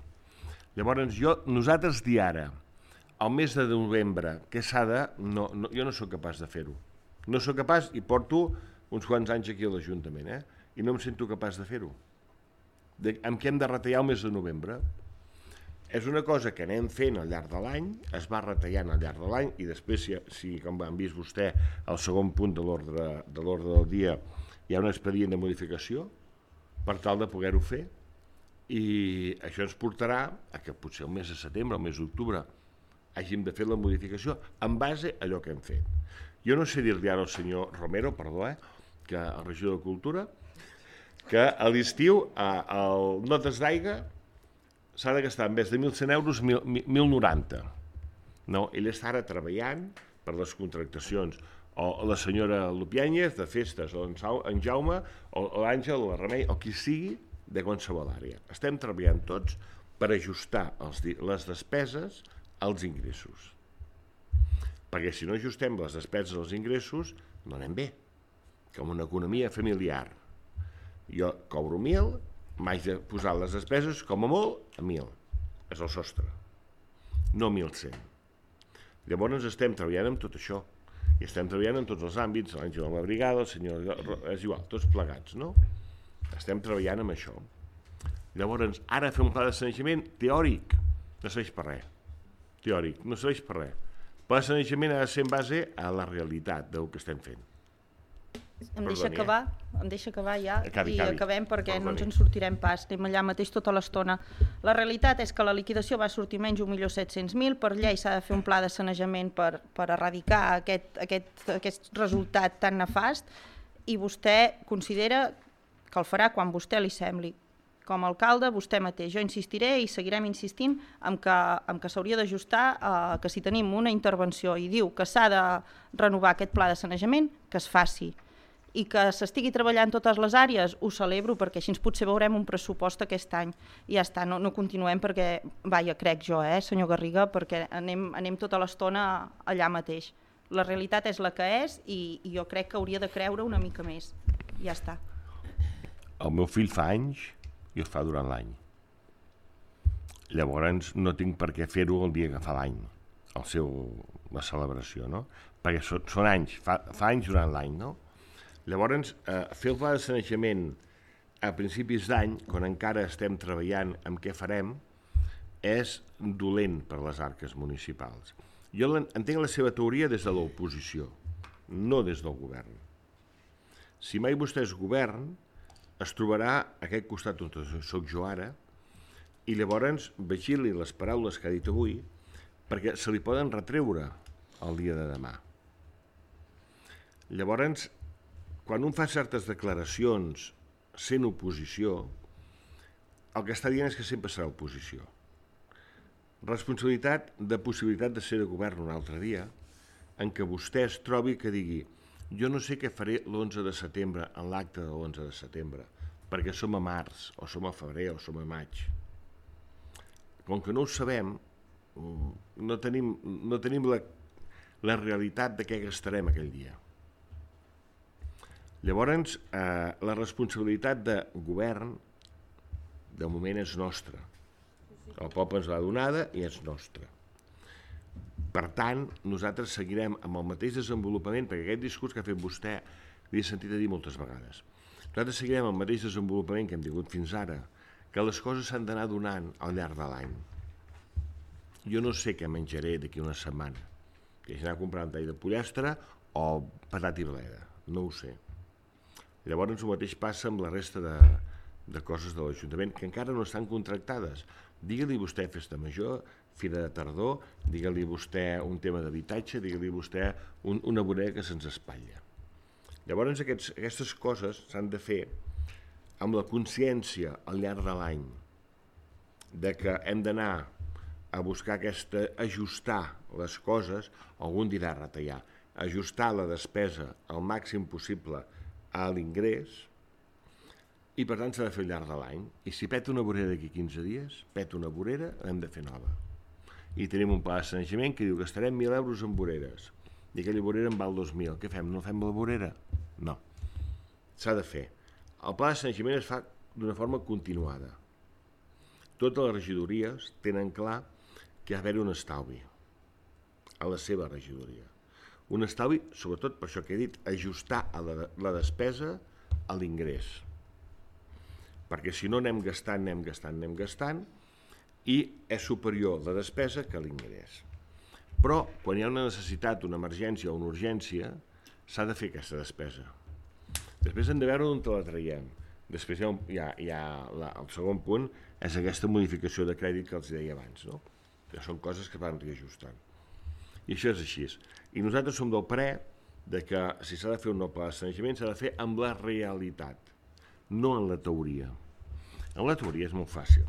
Llavors jo, nosaltres dir ara, al mes de novembre, què s'ha de... No, no, jo no sóc capaç de fer-ho. No sóc capaç i porto uns quants anys aquí a l'Ajuntament, eh? I no em sento capaç de fer-ho. De, amb què hem de retallar el mes de novembre. És una cosa que anem fent al llarg de l'any, es va retallant al llarg de l'any i després, si, si com han vist vostè, al segon punt de l'ordre de l'ordre del dia hi ha un expedient de modificació per tal de poder-ho fer i això ens portarà a que potser el mes de setembre, el mes d'octubre hàgim de fer la modificació en base a allò que hem fet. Jo no sé dir-li ara al senyor Romero, perdó, eh, que el regidor de Cultura, que a l'estiu el notes d'aigua s'ha de gastar en vez de mil cent euros mil noranta. No, ell està ara treballant per les contractacions. O la senyora Lupiáñez de festes, o en Jaume, o l'Àngel, o la Remei, o qui sigui, de qualsevol àrea. Estem treballant tots per ajustar els, les despeses als ingressos. Perquè si no ajustem les despeses als ingressos, no anem bé. Com una economia familiar. Jo cobro mil, m'haig de posar les despeses, com a molt, a mil. És el sostre. No mil cent. Llavors estem treballant amb tot això. I estem treballant en tots els àmbits, l'Àngel amb la brigada, el senyor... És igual, tots plegats, no? Estem treballant amb això. Llavors, ara fer un pla de sanejament teòric no serveix per res. Teòric, no serveix per res. El pla de sanejament ha de ser en base a la realitat del que estem fent. Em deixa acabar, em deixa acabar ja acabi, i acabi. acabem perquè Perdoni. no ens en sortirem pas, anem allà mateix tota l'estona. La realitat és que la liquidació va sortir menys un milió set-cents mil, per llei s'ha de fer un pla de sanejament per, per erradicar aquest, aquest, aquest resultat tan nefast i vostè considera que el farà quan vostè li sembli. Com a alcalde, vostè mateix. Jo insistiré i seguirem insistint en que, en que s'hauria d'ajustar eh, que si tenim una intervenció i diu que s'ha de renovar aquest pla de sanejament, que es faci. I que s'estigui treballant totes les àrees, ho celebro perquè així potser veurem un pressupost aquest any. I ja està, no, no continuem perquè, vaja, crec jo, eh, senyor Garriga, perquè anem, anem tota l'estona allà mateix. La realitat és la que és i, i jo crec que hauria de creure una mica més. Ja està. El meu fill fa anys i el fa durant l'any. Llavors no tinc per què fer-ho el dia que fa l'any, el seu, la celebració, no? Perquè són, són anys, fa, fa anys durant l'any, no? Llavors, eh, fer el pla de sanejament a principis d'any, quan encara estem treballant amb què farem, és dolent per les arques municipals. Jo entenc la seva teoria des de l'oposició, no des del govern. Si mai vostè és govern, es trobarà a aquest costat on soc jo ara i llavors vigili les paraules que ha dit avui perquè se li poden retreure el dia de demà. Llavors, quan un fa certes declaracions sent oposició, el que està dient és que sempre serà oposició. Responsabilitat de possibilitat de ser de govern un altre dia en què vostè es trobi que digui jo no sé què faré l'onze de setembre en l'acte de l'onze de setembre, perquè som a març, o som a febrer, o som a maig. Com que no ho sabem, no tenim, no tenim la, la realitat de què gastarem aquell dia. Llavors, eh, la responsabilitat de govern, de moment, és nostra. El poble ens l'ha donada i és nostra. Per tant, nosaltres seguirem amb el mateix desenvolupament, perquè aquest discurs que ha fet vostè l'he sentit a dir moltes vegades. Nosaltres seguirem amb el mateix desenvolupament que hem tingut fins ara, que les coses s'han d'anar donant al llarg de l'any. Jo no sé què menjaré d'aquí una setmana, que és anar a comprar un tall de pollastre o patat i bleda, no ho sé. Llavors el mateix passa amb la resta de, de coses de l'Ajuntament que encara no estan contractades. Digue-li vostè festa major, fira de tardor, digue-li vostè un tema d'habitatge, digue-li vostè un, una vorera que se'ns espatlla. Llavors aquests, aquestes coses s'han de fer amb la consciència al llarg de l'any de que hem d'anar a buscar aquesta, ajustar les coses, algun dirà retallar, ajustar la despesa al màxim possible a l'ingrés i per tant s'ha de fer al llarg de l'any. I si peta una vorera d'aquí quinze dies, peta una vorera, l'hem de fer nova. I tenim un pla de sanejament que diu que gastarem mil euros en voreres i aquella vorera en val dos mil. Què fem? No fem la vorera? No. S'ha de fer. El pla de sanejament es fa d'una forma continuada. Totes les regidories tenen clar que ha d'haver un estalvi a la seva regidoria. Un estalvi, sobretot per això que he dit, ajustar a la, la despesa a l'ingrés. Perquè si no anem gastant, anem gastant, anem gastant, i és superior la despesa que l'ingrés. Però, quan hi ha una necessitat, una emergència o una urgència, s'ha de fer aquesta despesa. Després hem de veure on te la traiem. Després hi ha, hi ha, hi ha la, el segon punt, és aquesta modificació de crèdit que els deia abans, no? Que són coses que van reajustant. I això és així. I nosaltres som del parer de que si s'ha de fer un nou pla de sanejament s'ha de fer amb la realitat, no en la teoria. En la teoria és molt fàcil.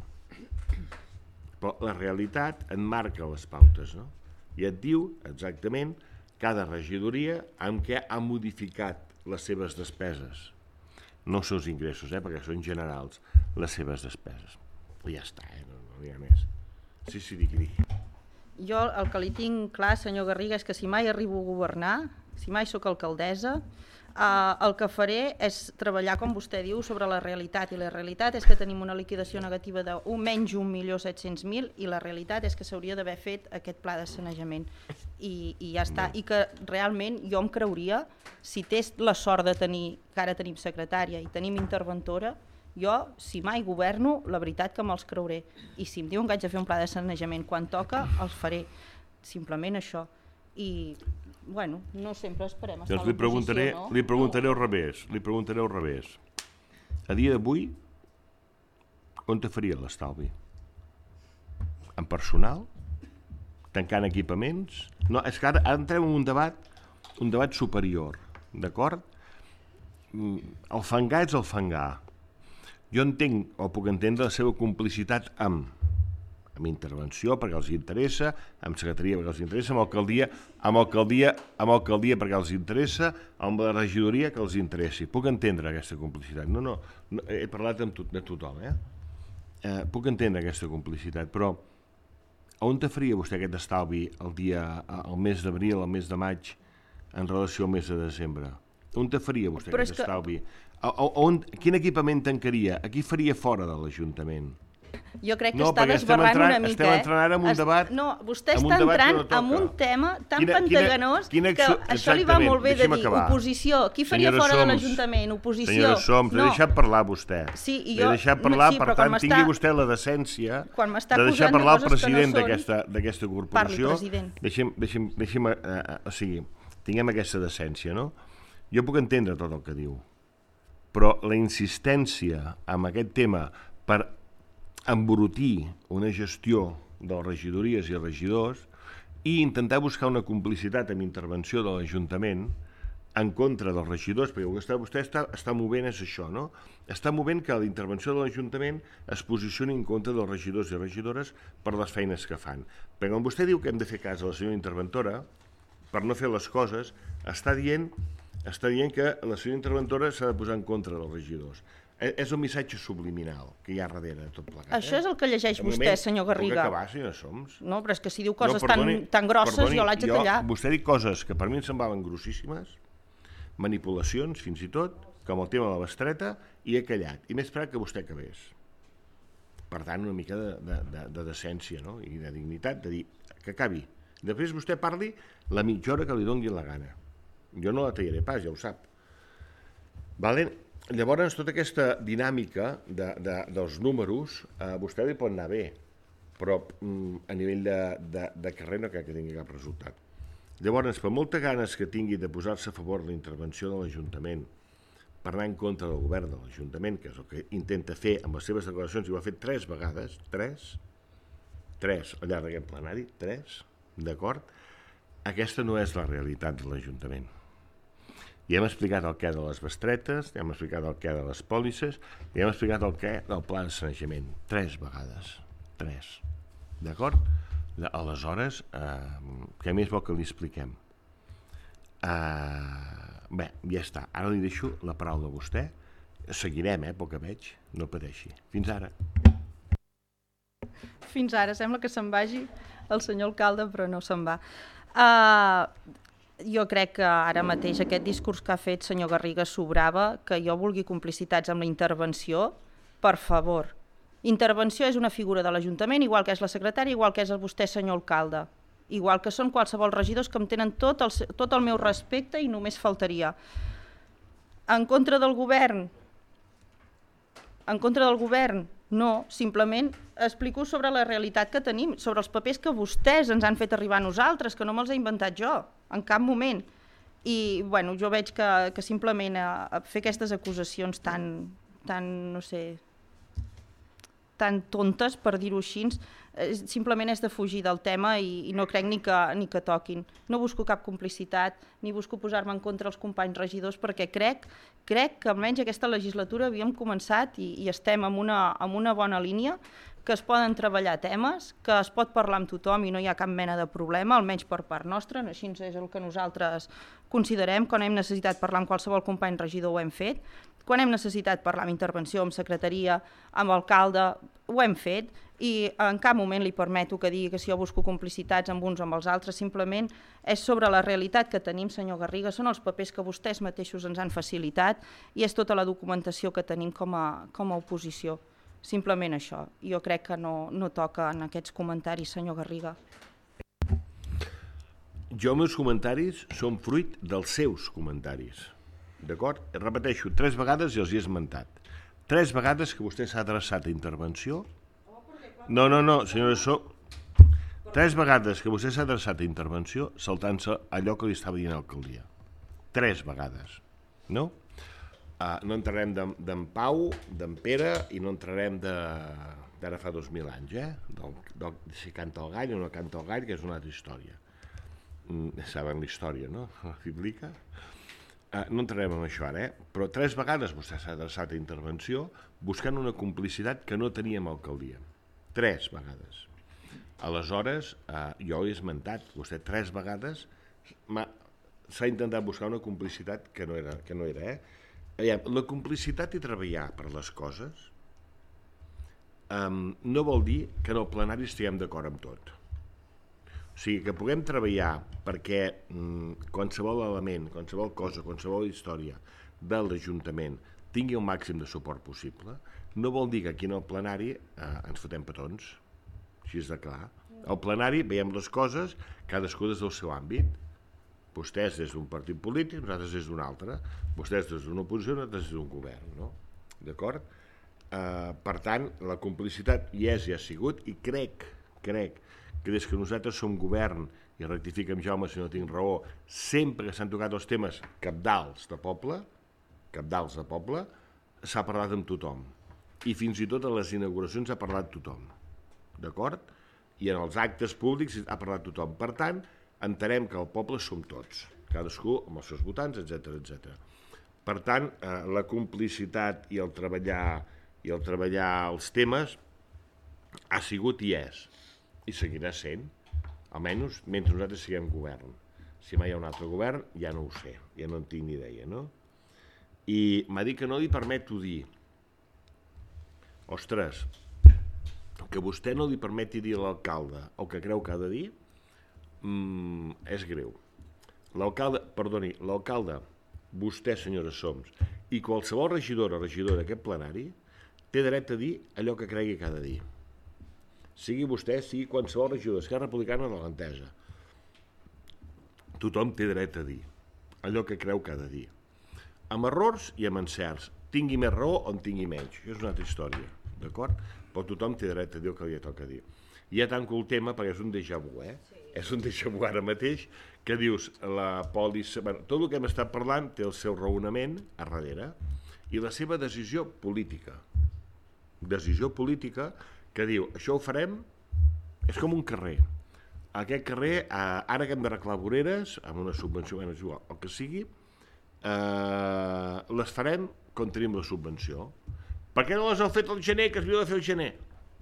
Però la realitat en marca les pautes, no? I et diu exactament cada regidoria amb què ha modificat les seves despeses. No els seus ingressos, eh? Perquè són generals, les seves despeses. I ja està, eh? No, no hi ha més. Sí, sí, digui, digui. Jo el que li tinc clar, senyor Garriga, és que si mai arribo a governar, si mai sóc alcaldessa, eh, el que faré és treballar, com vostè diu, sobre la realitat. I la realitat és que tenim una liquidació negativa de un, menys un milió set-cents mil i la realitat és que s'hauria d'haver fet aquest pla de sanejament. I, i ja està. I que realment jo em creuria, si té la sort de tenir, que ara tenim secretària i tenim interventora, jo, si mai governo, la veritat que me'ls creuré. I si em diuen que haig de fer un pla de sanejament quan toca, els faré. Simplement això. I bueno, no sempre esperem estar doncs a li preguntaré, l'oposició, no? li preguntaré al revés, li preguntaré al revés. A dia d'avui, on te faria l'estalvi? En personal? Tancant equipaments? No, és que ara, ara entrem en un debat, un debat superior, d'acord? El fangar és el fangar. Jo entenc, o puc entendre, la seva complicitat amb amb intervenció perquè els interessa, amb secretaria perquè els interessa, amb alcaldia, amb alcaldia, amb alcaldia perquè els interessa, amb la regidoria que els interessi. Puc entendre aquesta complicitat. No, no, no he parlat amb tot, de tothom, eh? eh? Puc entendre aquesta complicitat, però on te faria vostè aquest estalvi el dia, el mes d'abril, el mes de maig, en relació al mes de desembre? On te faria vostè però aquest estalvi? Que... On, quin equipament tancaria? A qui faria fora de l'Ajuntament? Jo crec que no, està desbarrant entrant, una mica, estem eh? entrant ara en un debat... No, vostè està entrant no en un tema tan quina, pantaganós quina, quina, que això li va molt bé de dir. Acabar. Oposició. Qui faria senyora fora Soms, de l'Ajuntament? Oposició. Senyora Soms, no. L'he deixat parlar vostè. Sí, i jo... L'he deixat parlar, sí, per tant, tingui vostè la decència de deixar parlar el president no d'aquesta corporació. Parli, deixem, deixem, deixem, uh, o sigui, tinguem aquesta decència, no? Jo puc entendre tot el que diu, però la insistència en aquest tema per embrutir una gestió de les regidories i regidors i intentar buscar una complicitat amb intervenció de l'Ajuntament en contra dels regidors, perquè vostè, vostè està, està movent és això, no? Està movent que la intervenció de l'Ajuntament es posicioni en contra dels regidors i regidores per les feines que fan. Perquè quan vostè diu que hem de fer cas a la senyora interventora, per no fer les coses, està dient, està dient que la senyora interventora s'ha de posar en contra dels regidors. És un missatge subliminal que hi ha darrere de tot plegat. Això eh? és el que llegeix vostè, moment, senyor Garriga. Puc acabar, senyora Soms? No, però és que si diu coses no, perdoni, tan, tan grosses, perdoni, jo l'haig de tallar. Vostè diu coses que per mi em semblaven grossíssimes, manipulacions, fins i tot, com el tema de la bestreta, i he callat. I m'he esperat que vostè acabés. Per tant, una mica de, de, de, de decència, no? I de dignitat, de dir que acabi. Després vostè parli la mitja hora que li doni la gana. Jo no la tallaré pas, ja ho sap. Vale? Llavors, tota aquesta dinàmica de, de, dels números, a eh, vostè li pot anar bé, però mm, a nivell de, de, de carrer no crec que tingui cap resultat. Llavors, per moltes ganes que tingui de posar-se a favor de la intervenció de l'Ajuntament, per anar en contra del govern de l'Ajuntament, que és el que intenta fer amb les seves declaracions, i ho ha fet tres vegades, tres, tres al llarg d'aquest plenari, tres, d'acord? Aquesta no és la realitat de l'Ajuntament. Ja hem explicat el què de les bestretes, ja hem explicat el què de les pòlisses, ja hem explicat el què del pla de sanejament. Tres vegades. Tres. D'acord? Aleshores, eh, què més vol que li expliquem? Eh, bé, ja està. Ara li deixo la paraula a vostè. Seguirem, eh, pel que veig. No pateixi. Fins ara. Fins ara. Sembla que se'n vagi el senyor alcalde, però no se'n va. Uh, jo crec que ara mateix aquest discurs que ha fet senyor Garriga sobrava, que jo vulgui complicitats amb la intervenció, per favor. Intervenció és una figura de l'Ajuntament, igual que és la secretària, igual que és vostè, senyor alcalde. Igual que són qualsevol regidors que em tenen tot el, tot el meu respecte i només faltaria. En contra del govern? En contra del govern? No, simplement explico sobre la realitat que tenim, sobre els papers que vostès ens han fet arribar a nosaltres, que no me'ls he inventat jo, en cap moment. I bueno, jo veig que, que simplement a, a fer aquestes acusacions tan, tan, no sé, tan tontes, per dir-ho així, eh, simplement és de fugir del tema i, i no crec ni que, ni que toquin. No busco cap complicitat, ni busco posar-me en contra els companys regidors, perquè crec, crec que almenys aquesta legislatura havíem començat i, i estem en una, en una bona línia, que es poden treballar temes, que es pot parlar amb tothom i no hi ha cap mena de problema, almenys per part nostra, no, així és el que nosaltres considerem. Quan hem necessitat parlar amb qualsevol company regidor ho hem fet, quan hem necessitat parlar amb intervenció, amb secretaria, amb alcalde, ho hem fet, i en cap moment li permeto que digui que si jo busco complicitats amb uns o amb els altres, simplement és sobre la realitat que tenim, senyor Garriga, són els papers que vostès mateixos ens han facilitat i és tota la documentació que tenim com a, com a oposició. Simplement això. Jo crec que no, no toca en aquests comentaris, senyor Garriga. Jo, els meus comentaris són fruit dels seus comentaris. D'acord? Repeteixo, tres vegades i els he esmentat. Tres vegades que vostè s'ha adreçat a intervenció. No, no, no, senyora Soms. Tres vegades que vostè s'ha adreçat a intervenció saltant-se allò que li estava dient l'alcaldia. Tres vegades, no? Uh, no entrarem d'en Pau, d'en Pere, i no entrarem d'ara fa dos mil anys, eh? Del, del, si canta el gall o no canta el gall, que és una altra història. Mm, saben la història, no? La bíblica. Uh, no entrarem en això ara, eh? Però tres vegades vostè s'ha adreçat a intervenció buscant una complicitat que no teníem a l'alcaldia. Tres vegades. Aleshores, eh, jo he esmentat, vostè tres vegades s'ha intentat buscar una complicitat que no era, que no era eh? Aviam, la complicitat i treballar per les coses um, no vol dir que en el plenari estiguem d'acord amb tot. O sigui, que puguem treballar perquè um, qualsevol element, qualsevol cosa, qualsevol història de l'Ajuntament tingui el màxim de suport possible, no vol dir que aquí en el plenari eh, ens fotem petons. Així és de clar. Al plenari veiem les coses, cadascú des del seu àmbit. Vostès des d'un partit polític, nosaltres des d'un altre. Vostès des d'una oposició, nosaltres des d'un govern, no? D'acord? Eh, per tant, la complicitat hi és i ha sigut, i crec, crec que des que nosaltres som govern, i rectifiquem Jaume si no tinc raó, sempre que s'han tocat els temes cabdals de poble, cabdals de poble, s'ha parlat amb tothom. I fins i tot a les inauguracions ha parlat tothom. D'acord? I en els actes públics ha parlat tothom. Per tant, entenem que el poble som tots, cadascú amb els seus votants, etcètera, etcètera. Per tant, eh, la complicitat i el treballar i el treballar els temes ha sigut i és, i seguirà sent, almenys mentre nosaltres siguem govern. Si mai hi ha un altre govern, ja no ho sé, ja no en tinc ni idea, no? I m'ha dit que no li permeto dir, ostres, que vostè no li permeti dir a l'alcalde el que creu que ha de dir, mm, és greu. L'alcalde, perdoni, l'alcalde, vostè, senyora Soms, i qualsevol regidor o regidora d'aquest plenari, té dret a dir allò que cregui que ha de dir. Sigui vostè, sigui qualsevol regidor d'Esquerra Republicana de l'Entesa. Tothom té dret a dir allò que creu que ha de dir. Amb errors i amb encerts. Tingui més raó o en tingui menys. Això és una altra història, d'acord? Però tothom té dret a dir el que li toca dir. I ja tanco el tema perquè és un déjà vu, eh? Sí. És un déjà vu ara mateix que dius la pòlissa... Bueno, tot el que hem estat parlant té el seu raonament a darrere i la seva decisió política. Decisió política que diu, això ho farem, és com un carrer. Aquest carrer, ara que hem d'arreglar voreres, amb una subvenció, bueno, és igual, el que sigui, eh, les farem quan tenim la subvenció. Per què no les heu fet al gener, que es havia de fer al gener?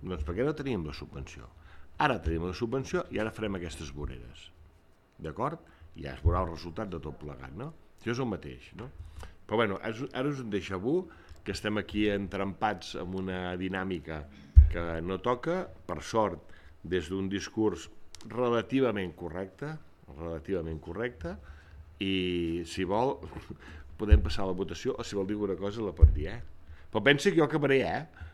Doncs perquè no teníem la subvenció. Ara tenim la subvenció i ara farem aquestes voreres. D'acord? I ja es veurà el resultat de tot plegat, no? Això és el mateix, no? Però bueno, ara és un déjà vu, que estem aquí entrampats en una dinàmica que no toca, per sort, des d'un discurs relativament correcte, relativament correcte, i si vol podem passar a la votació, o si vol dir alguna cosa la pot dir, eh? Però pensi que jo acabaré, eh?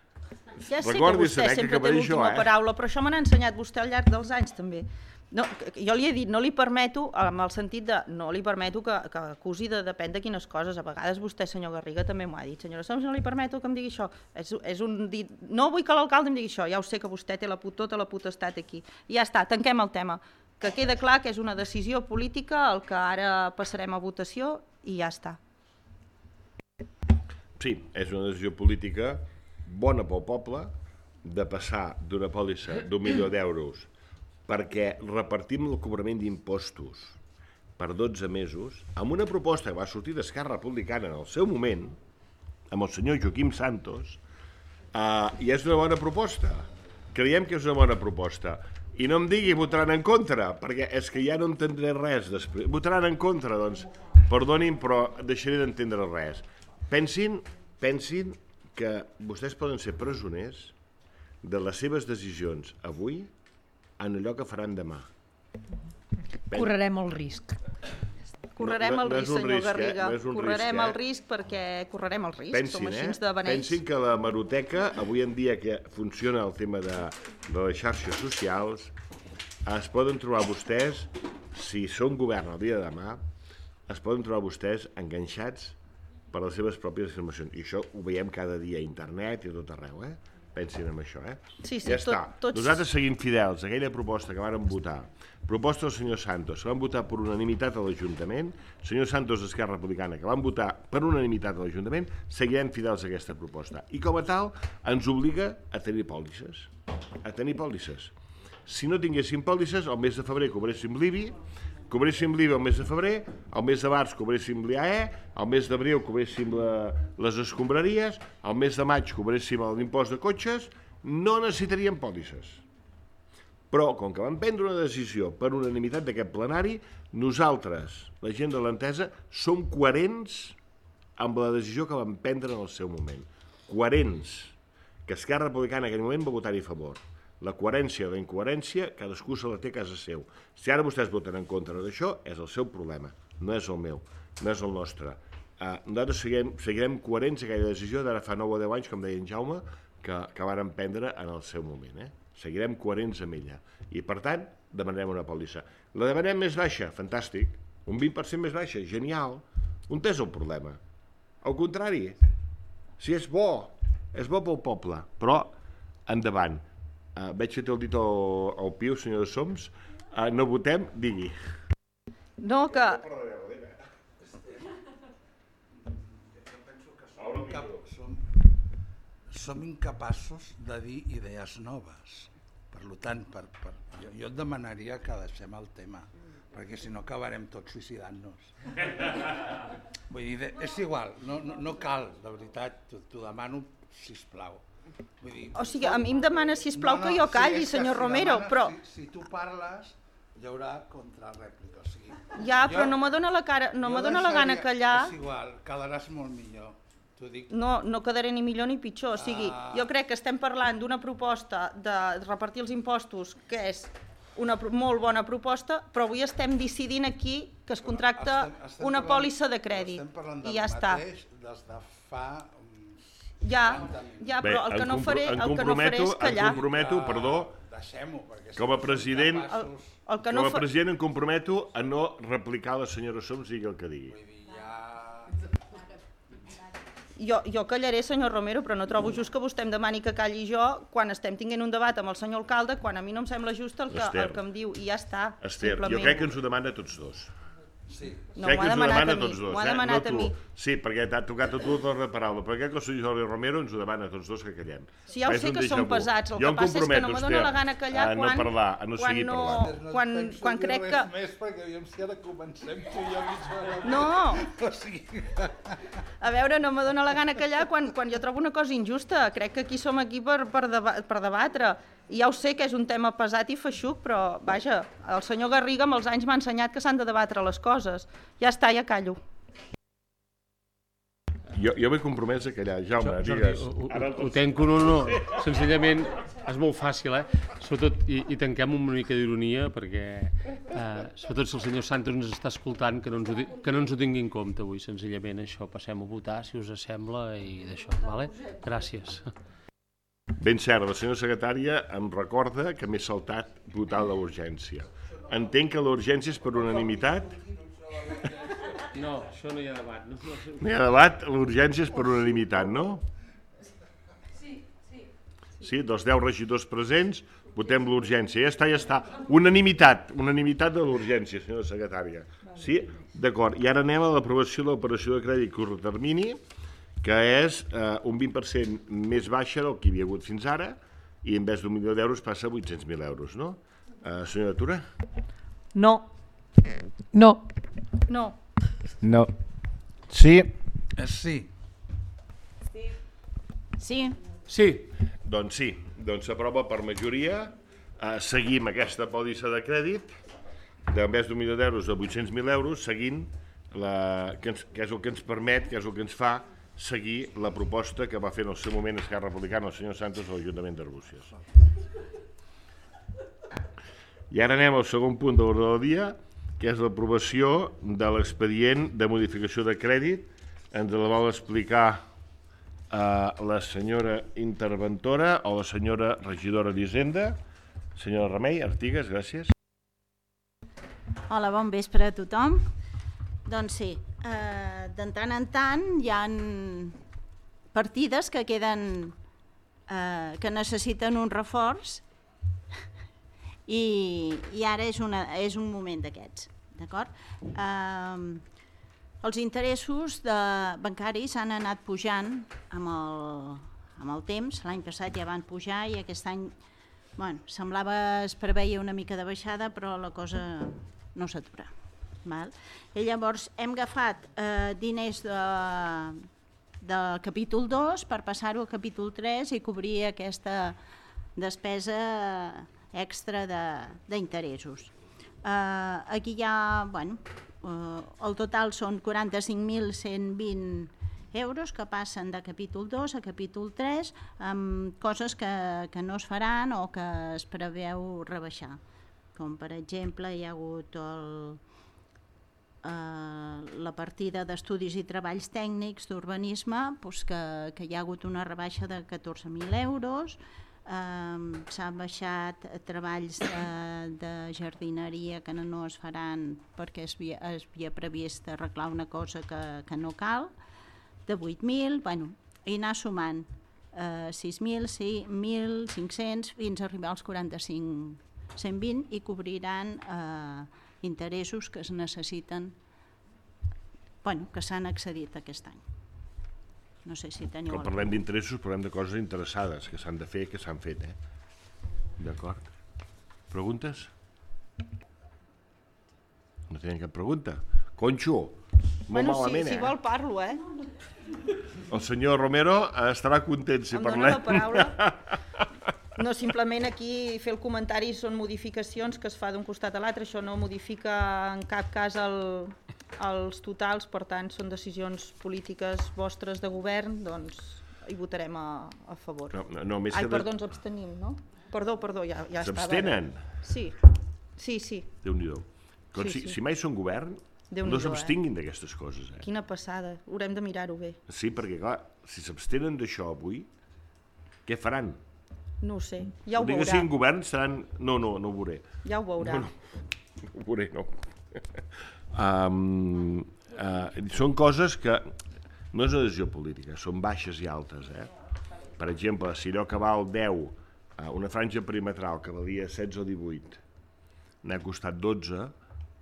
Ja sé que vostè sempre té l'última paraula, però això me n'ha ensenyat vostè al llarg dels anys, també. No, jo li he dit, no li permeto, en el sentit de, no li permeto que, que acusi de depèn de quines coses. A vegades vostè, senyor Garriga, també m'ho ha dit. Senyora Soms, no li permeto que em digui això. És, és un dit, no vull que l'alcalde em digui això, ja ho sé que vostè té la, tota la potestat aquí. I ja està, tanquem el tema. Que queda clar que és una decisió política el que ara passarem a votació i ja està. Sí, és una decisió política bona pel poble de passar d'una pòlissa d'un milió d'euros perquè repartim el cobrament d'impostos per dotze mesos amb una proposta que va sortir d'Esquerra Republicana en el seu moment, amb el senyor Joaquim Santos, eh, i és una bona proposta. Creiem que és una bona proposta. I no em digui votaran en contra, perquè és que ja no entendré res després. Votaran en contra, doncs, perdonin, però deixaré d'entendre res. Pensin, pensin que vostès poden ser presoners de les seves decisions avui en allò que faran demà. Correrem el risc. Correrem el risc, senyor Garriga. Correrem el risc perquè correrem el risc. Som així de beneis. Pensin que la hemeroteca, avui en dia que funciona el tema de, de les xarxes socials, es poden trobar vostès, si són govern el dia de demà, es poden trobar vostès enganxats per les seves pròpies afirmacions. I això ho veiem cada dia a internet i a tot arreu, eh? pensin en això, eh? Sí, sí, ja està. tot, tots... Nosaltres seguim fidels a aquella proposta que vàrem votar, proposta del senyor Santos, que van votar per unanimitat a l'Ajuntament, senyor Santos d'Esquerra Republicana, que van votar per unanimitat a l'Ajuntament, seguirem fidels a aquesta proposta. I com a tal, ens obliga a tenir pòlisses. A tenir pòlisses. Si no tinguéssim pòlisses, el mes de febrer cobréssim l'I B I, cobréssim l'I B I el mes de febrer, el mes de març cobréssim l'I A E, el mes d'abril cobréssim la, les escombraries, el mes de maig cobréssim l'impost de cotxes, no necessitaríem pòlisses. Però, com que vam prendre una decisió per unanimitat d'aquest plenari, nosaltres, la gent de l'Entesa, som coherents amb la decisió que vam prendre en el seu moment. Coherents. Que Esquerra Republicana en aquell moment va votar-hi a favor. La coherència o la incoherència, cadascú se la té a casa seu. Si ara vostès voten en contra d'això, és el seu problema, no és el meu, no és el nostre. Uh, nosaltres seguirem, seguirem coherents a aquella decisió d'ara fa nou o deu anys, com deia en Jaume, que, que varen prendre en el seu moment. Eh? Seguirem coherents amb ella. I, per tant, demanarem una pòlissa. La demanem més baixa? Fantàstic. Un vint per cent més baixa? Genial. On és el problema? Al contrari, si és bo, és bo pel poble, però endavant. Uh, veig que té el dit al, al piu, senyor de Soms. Uh, no votem, digui. No, que... Som, som incapaços de dir idees noves. Per tant, per, per, jo, jo et demanaria que deixem el tema, perquè si no acabarem tots suïcidant-nos. Vull dir, és igual, no, no, no cal, de veritat, t'ho demano, sisplau. Vull dir, o sigui, a mi em demana, sisplau, no, no, que jo calli, sí, senyor si Romero, demana, però... Si, si tu parles, hi haurà contrarèplica, o sigui... Ja, jo, però no me dóna la, cara, no me dóna la gana callar... És igual, quedaràs molt millor. Dic... No, no quedaré ni millor ni pitjor, o sigui, ah. jo crec que estem parlant d'una proposta de repartir els impostos, que és una molt bona proposta, però avui estem decidint aquí que es contracta estem, estem una parlant, pòlissa de crèdit, i ja està. Des de fa... Ja, ja, però el que no faré, el que no faré és callar. Em comprometo, perdó, com a president, el, el que no com a president em comprometo a no replicar la senyora Soms, digui el que digui. Jo, jo callaré, senyor Romero, però no trobo just que vostè em demani que calli jo quan estem tinguent un debat amb el senyor alcalde, quan a mi no em sembla just el que, el que em diu, i ja està. Esther, simplement. Jo crec que ens ho demana a tots dos. Sí. No, m'ho ha demanat a mi, m'ho ha demanat a mi. Sí, perquè t'ha tocat a tu la paraula, però crec que el senyor Romero ens ho demana a tots dos que callem. Sí, ja ho sé que són pesats, el que passa és que no me dóna la gana callar quan... A no parlar, a no seguir parlant. Quan, quan crec que... No més, perquè aviam si ara comencem tu i jo mitja hora... No! A veure, no me dóna la gana callar quan, quan jo trobo una cosa injusta. Crec que aquí som aquí per, per, deba per debatre. I ja ho sé que és un tema pesat i feixuc, però, vaja, el senyor Garriga amb els anys m'ha ensenyat que s'han de debatre les coses. Ja està, ja callo. Jo, jo m'he compromès a callar. Jaume, Jordi, digues. Ho, ho, ho tenco, no, no. Senzillament, és molt fàcil, eh? Sobretot, i, i tanquem una mica d'ironia, perquè, eh, sobretot si el senyor Santos ens està escoltant, que no ens, ho, que no ens ho tingui en compte avui, senzillament això. Passem a votar, si us sembla, i d'això, vale? Gràcies. Ben cert, la senyora secretària em recorda que m'he saltat votar la urgència. Entenc que la urgència és per unanimitat? No, això no hi ha debat. No, no, no hi ha debat, l'urgència és per unanimitat, no? Sí, sí. Sí, dels deu regidors presents, votem l'urgència. Ja està, ja està. Unanimitat, unanimitat de l'urgència, senyora secretària. Sí? D'acord. I ara anem a l'aprovació de l'operació de crèdit curt termini, que és eh, un vint per cent més baixa del que hi havia hagut fins ara, i en vez d'un milió d'euros passa a vuit-cents mil euros, no? Eh, senyora Tura? No. No. No. No. Sí. Sí. Sí. Sí. Doncs sí, doncs s'aprova per majoria. Eh, seguim aquesta pòlissa de crèdit, d'en vez d'un milió d'euros a vuit-cents mil euros, seguint, la, que, ens, que és el que ens permet, que és el que ens fa seguir la proposta que va fer en el seu moment Esquerra Republicana el senyor Santos a l'Ajuntament d'Arbúcies. I ara anem al segon punt de l'ordre del dia, que és l'aprovació de l'expedient de modificació de crèdit. Ens la vol explicar eh, la senyora interventora o la senyora regidora d'Hisenda. Senyora Remei, Artigas, gràcies. Hola, bon vespre a tothom. Doncs sí, eh, de tant en tant hi ha partides que queden eh, que necessiten un reforç i, i ara és, una, és un moment d'aquests, d'acord? Eh, els interessos de bancaris han anat pujant amb el, amb el temps, l'any passat ja van pujar i aquest any bueno, semblava, es preveia una mica de baixada, però la cosa no s'atura. I llavors hem agafat eh, diners de, del capítol dos per passar-ho al capítol tres i cobrir aquesta despesa extra d'interessos. Eh, aquí hi ha, bueno, eh, el total són quaranta-cinc mil cent vint euros que passen de capítol dos a capítol tres amb coses que, que no es faran o que es preveu rebaixar. Com per exemple hi ha hagut el, eh, la partida d'estudis i treballs tècnics d'urbanisme, doncs que, que hi ha hagut una rebaixa de catorze mil euros, eh, s'han baixat treballs de, de jardineria que no, no es faran perquè es havia, es havia previst arreglar una cosa que, que no cal, de vuit mil, bueno, i anar sumant eh, sis mil, mil cinc-cents fins a arribar als quaranta-cinc cent vint i cobriran eh, interessos que es necessiten, bueno, que s'han accedit aquest any. No sé si teniu... Quan parlem d'interessos parlem de coses interessades que s'han de fer, que s'han fet, eh? D'acord. Preguntes? No tenen cap pregunta? Conxo, molt bueno, malament, si, eh? Si vol parlo, eh? El senyor Romero estarà content si em parlem. dóna la paraula. No, simplement aquí fer el comentari són modificacions que es fa d'un costat a l'altre, això no modifica en cap cas el, els totals, per tant són decisions polítiques vostres de govern, doncs hi votarem a, a favor. No, no, més Ai, que perdó, ens abstenim, no? Perdó, perdó, ja, ja estava. S'abstenen? Sí, sí, sí. Déu-n'hi-do. Sí, si, sí. si mai són govern, no s'abstinguin eh? d'aquestes coses. Eh? Quina passada, haurem de mirar-ho bé. Sí, perquè clar, si s'abstenen d'això avui, què faran? No ho sé, ja ho veurà. veurà. Que siguin govern seran... No, no, no ho veuré. Ja ho veurà. No, no, no ho veuré, no. um, uh, són coses que no és una decisió política, són baixes i altes. Eh? Per exemple, si allò que val deu, uh, una franja perimetral que valia setze o divuit, n'ha costat dotze,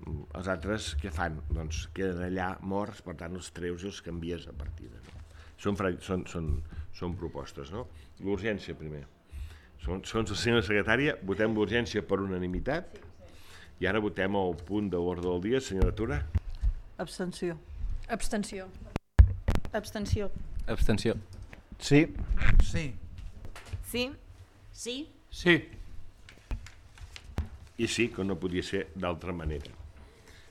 els altres què fan? Doncs queden allà morts, per tant els treus i els canvies a partida. No? Són, són, són, són propostes, no? L'urgència primer. Segons la senyora secretària, votem l'urgència per unanimitat i ara votem el punt de l'ordre del dia. Senyora Tura? Abstenció. Abstenció. Abstenció. Abstenció. Sí. Sí. Sí. Sí. Sí. I sí, que no podia ser d'altra manera.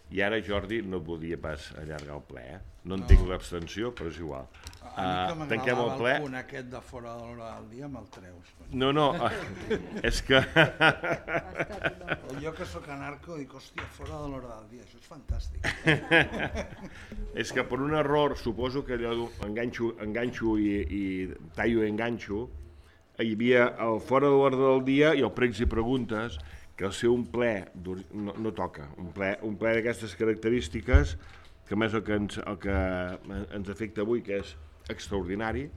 I ara, Jordi, no podia pas allargar el ple, eh? No entenc no. l'abstenció, però és igual. A mi que m'agradava el, ple... el punt aquest de fora de l'hora del dia me'l treus. No, no, és que... Jo que sóc anarco dic, hòstia, fora de l'hora del dia, això és fantàstic. És que per un error, suposo que allò enganxo, enganxo i, i tallo i enganxo, hi havia el fora de l'hora del dia i el pregs i preguntes, que al ser un ple no, no toca, un ple, un ple d'aquestes característiques, que més el que, ens, el que ens afecta avui, que és extraordinari,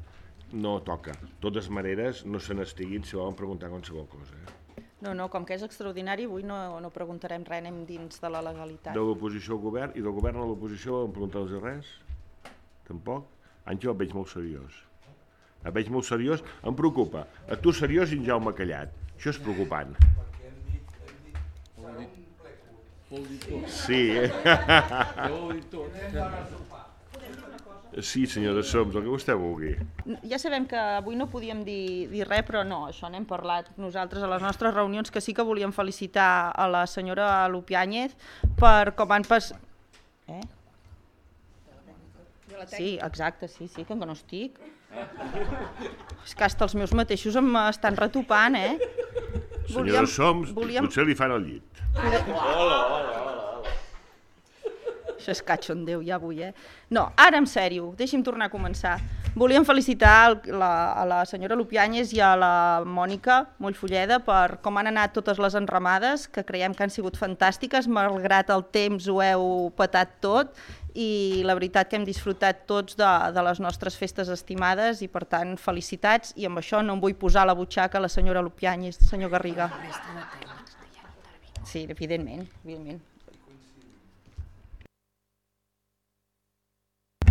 no toca. De totes maneres, no se n'estiguin si volen preguntar qualsevol cosa. Eh? No, no, com que és extraordinari, avui no, no preguntarem res, anem dins de la legalitat. De l'oposició al govern, i del govern a l'oposició, em pregunteu-los res? Tampoc? Àngel, el veig molt seriós. El veig molt seriós, em preocupa. A tu seriós i en Jaume callat. Això és preocupant. Sí, eh? Sí, senyora Soms, el que vostè vulgui. Ja sabem que avui no podíem dir, dir res, però no, això n'hem parlat nosaltres a les nostres reunions, que sí que volíem felicitar a la senyora Lupiáñez per com han pas... Eh? Sí, exacte, sí, sí, que no estic. És que hasta els meus mateixos em estan retopant, eh? Senyora Soms, volíem... potser li fan el llit. Hola, hola, hola. Això és cachondeu ja avui, eh? No, ara en sèrio, deixi'm tornar a començar. Volíem felicitar la, a la senyora Lupiáñez i a la Mònica Mollfulleda per com han anat totes les enramades, que creiem que han sigut fantàstiques, malgrat el temps ho heu petat tot, i la veritat que hem disfrutat tots de, de les nostres festes estimades i per tant felicitats, i amb això no em vull posar a la butxaca la senyora Lupiáñez, senyor Garriga. Sí, evidentment, evidentment.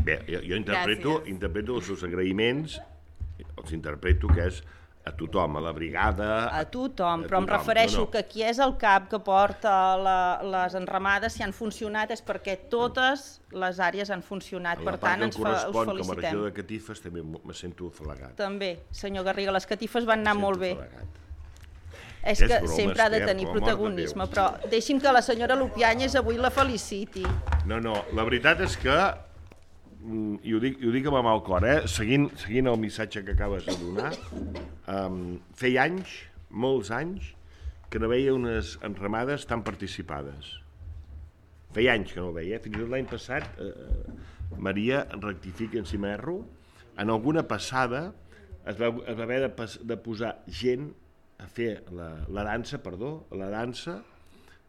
Bé, jo, jo interpreto, interpreto els seus agraïments, els interpreto que és a tothom, a la brigada... A tothom, a però em tothom, refereixo no, no. que qui és el cap que porta la, les enramades, si han funcionat és perquè totes les àrees han funcionat, En la per part tant que em ens fe- us correspon com a felicitem. regidor de catifes també me sento afalagat. També, senyor Garriga, les catifes van anar Me molt bé. sento afalagat. És És que broma, sempre ha de Esther, tenir per l'amor de protagonisme, Déu. però deixi'm que la senyora Lupiáñez avui la feliciti. No, no, la veritat és que, mm, i ho dic, i ho dic amb el mal cor, eh? seguint, seguint el missatge que acabes de donar, um, feia anys, molts anys, que no veia unes enramades tan participades. Feia anys que no ho veia, eh? Fins i tot l'any passat, eh, Maria, rectifica si m'erro, en alguna passada es va, es va haver de, pas, de posar gent a fer la, la dansa, perdó, la dansa,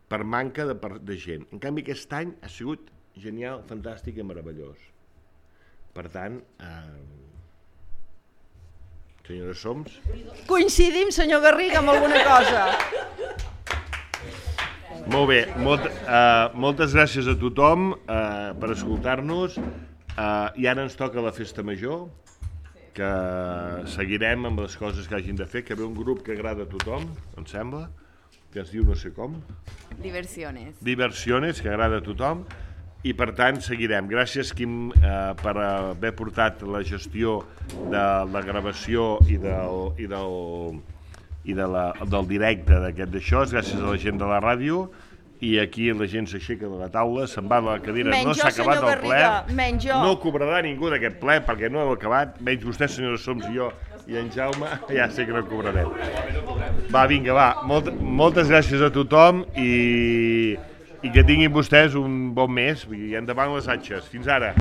per manca de, per, de gent. En canvi, aquest any ha sigut genial, fantàstic i meravellós. Per tant, eh, senyora Soms... Coincidim, senyor Garriga, amb alguna cosa. Molt bé, molt, eh, moltes gràcies a tothom eh, per escoltar-nos. Eh, I ara ens toca la festa major, que seguirem amb les coses que hagin de fer, que ve un grup que agrada a tothom, em sembla, que es diu no sé com. Diversiones. Diversiones, que agrada a tothom, i per tant seguirem. Gràcies, Quim, eh, per haver portat la gestió de la gravació i del, i del, i de la, del directe d'aquest d'això, gràcies a la gent de la ràdio, i aquí la gent s'aixeca de la taula, se'n va de la cadira, Menys no jo, s'ha acabat senyor el ple, Garriga, menys jo. no cobrarà ningú d'aquest ple perquè no heu acabat, menys vostè, senyora Soms, i jo, i en Jaume, ja sé que no cobrarem. Va, vinga, va, Molt, moltes gràcies a tothom i, i que tinguin vostès un bon mes, i endavant les atxes. Fins ara.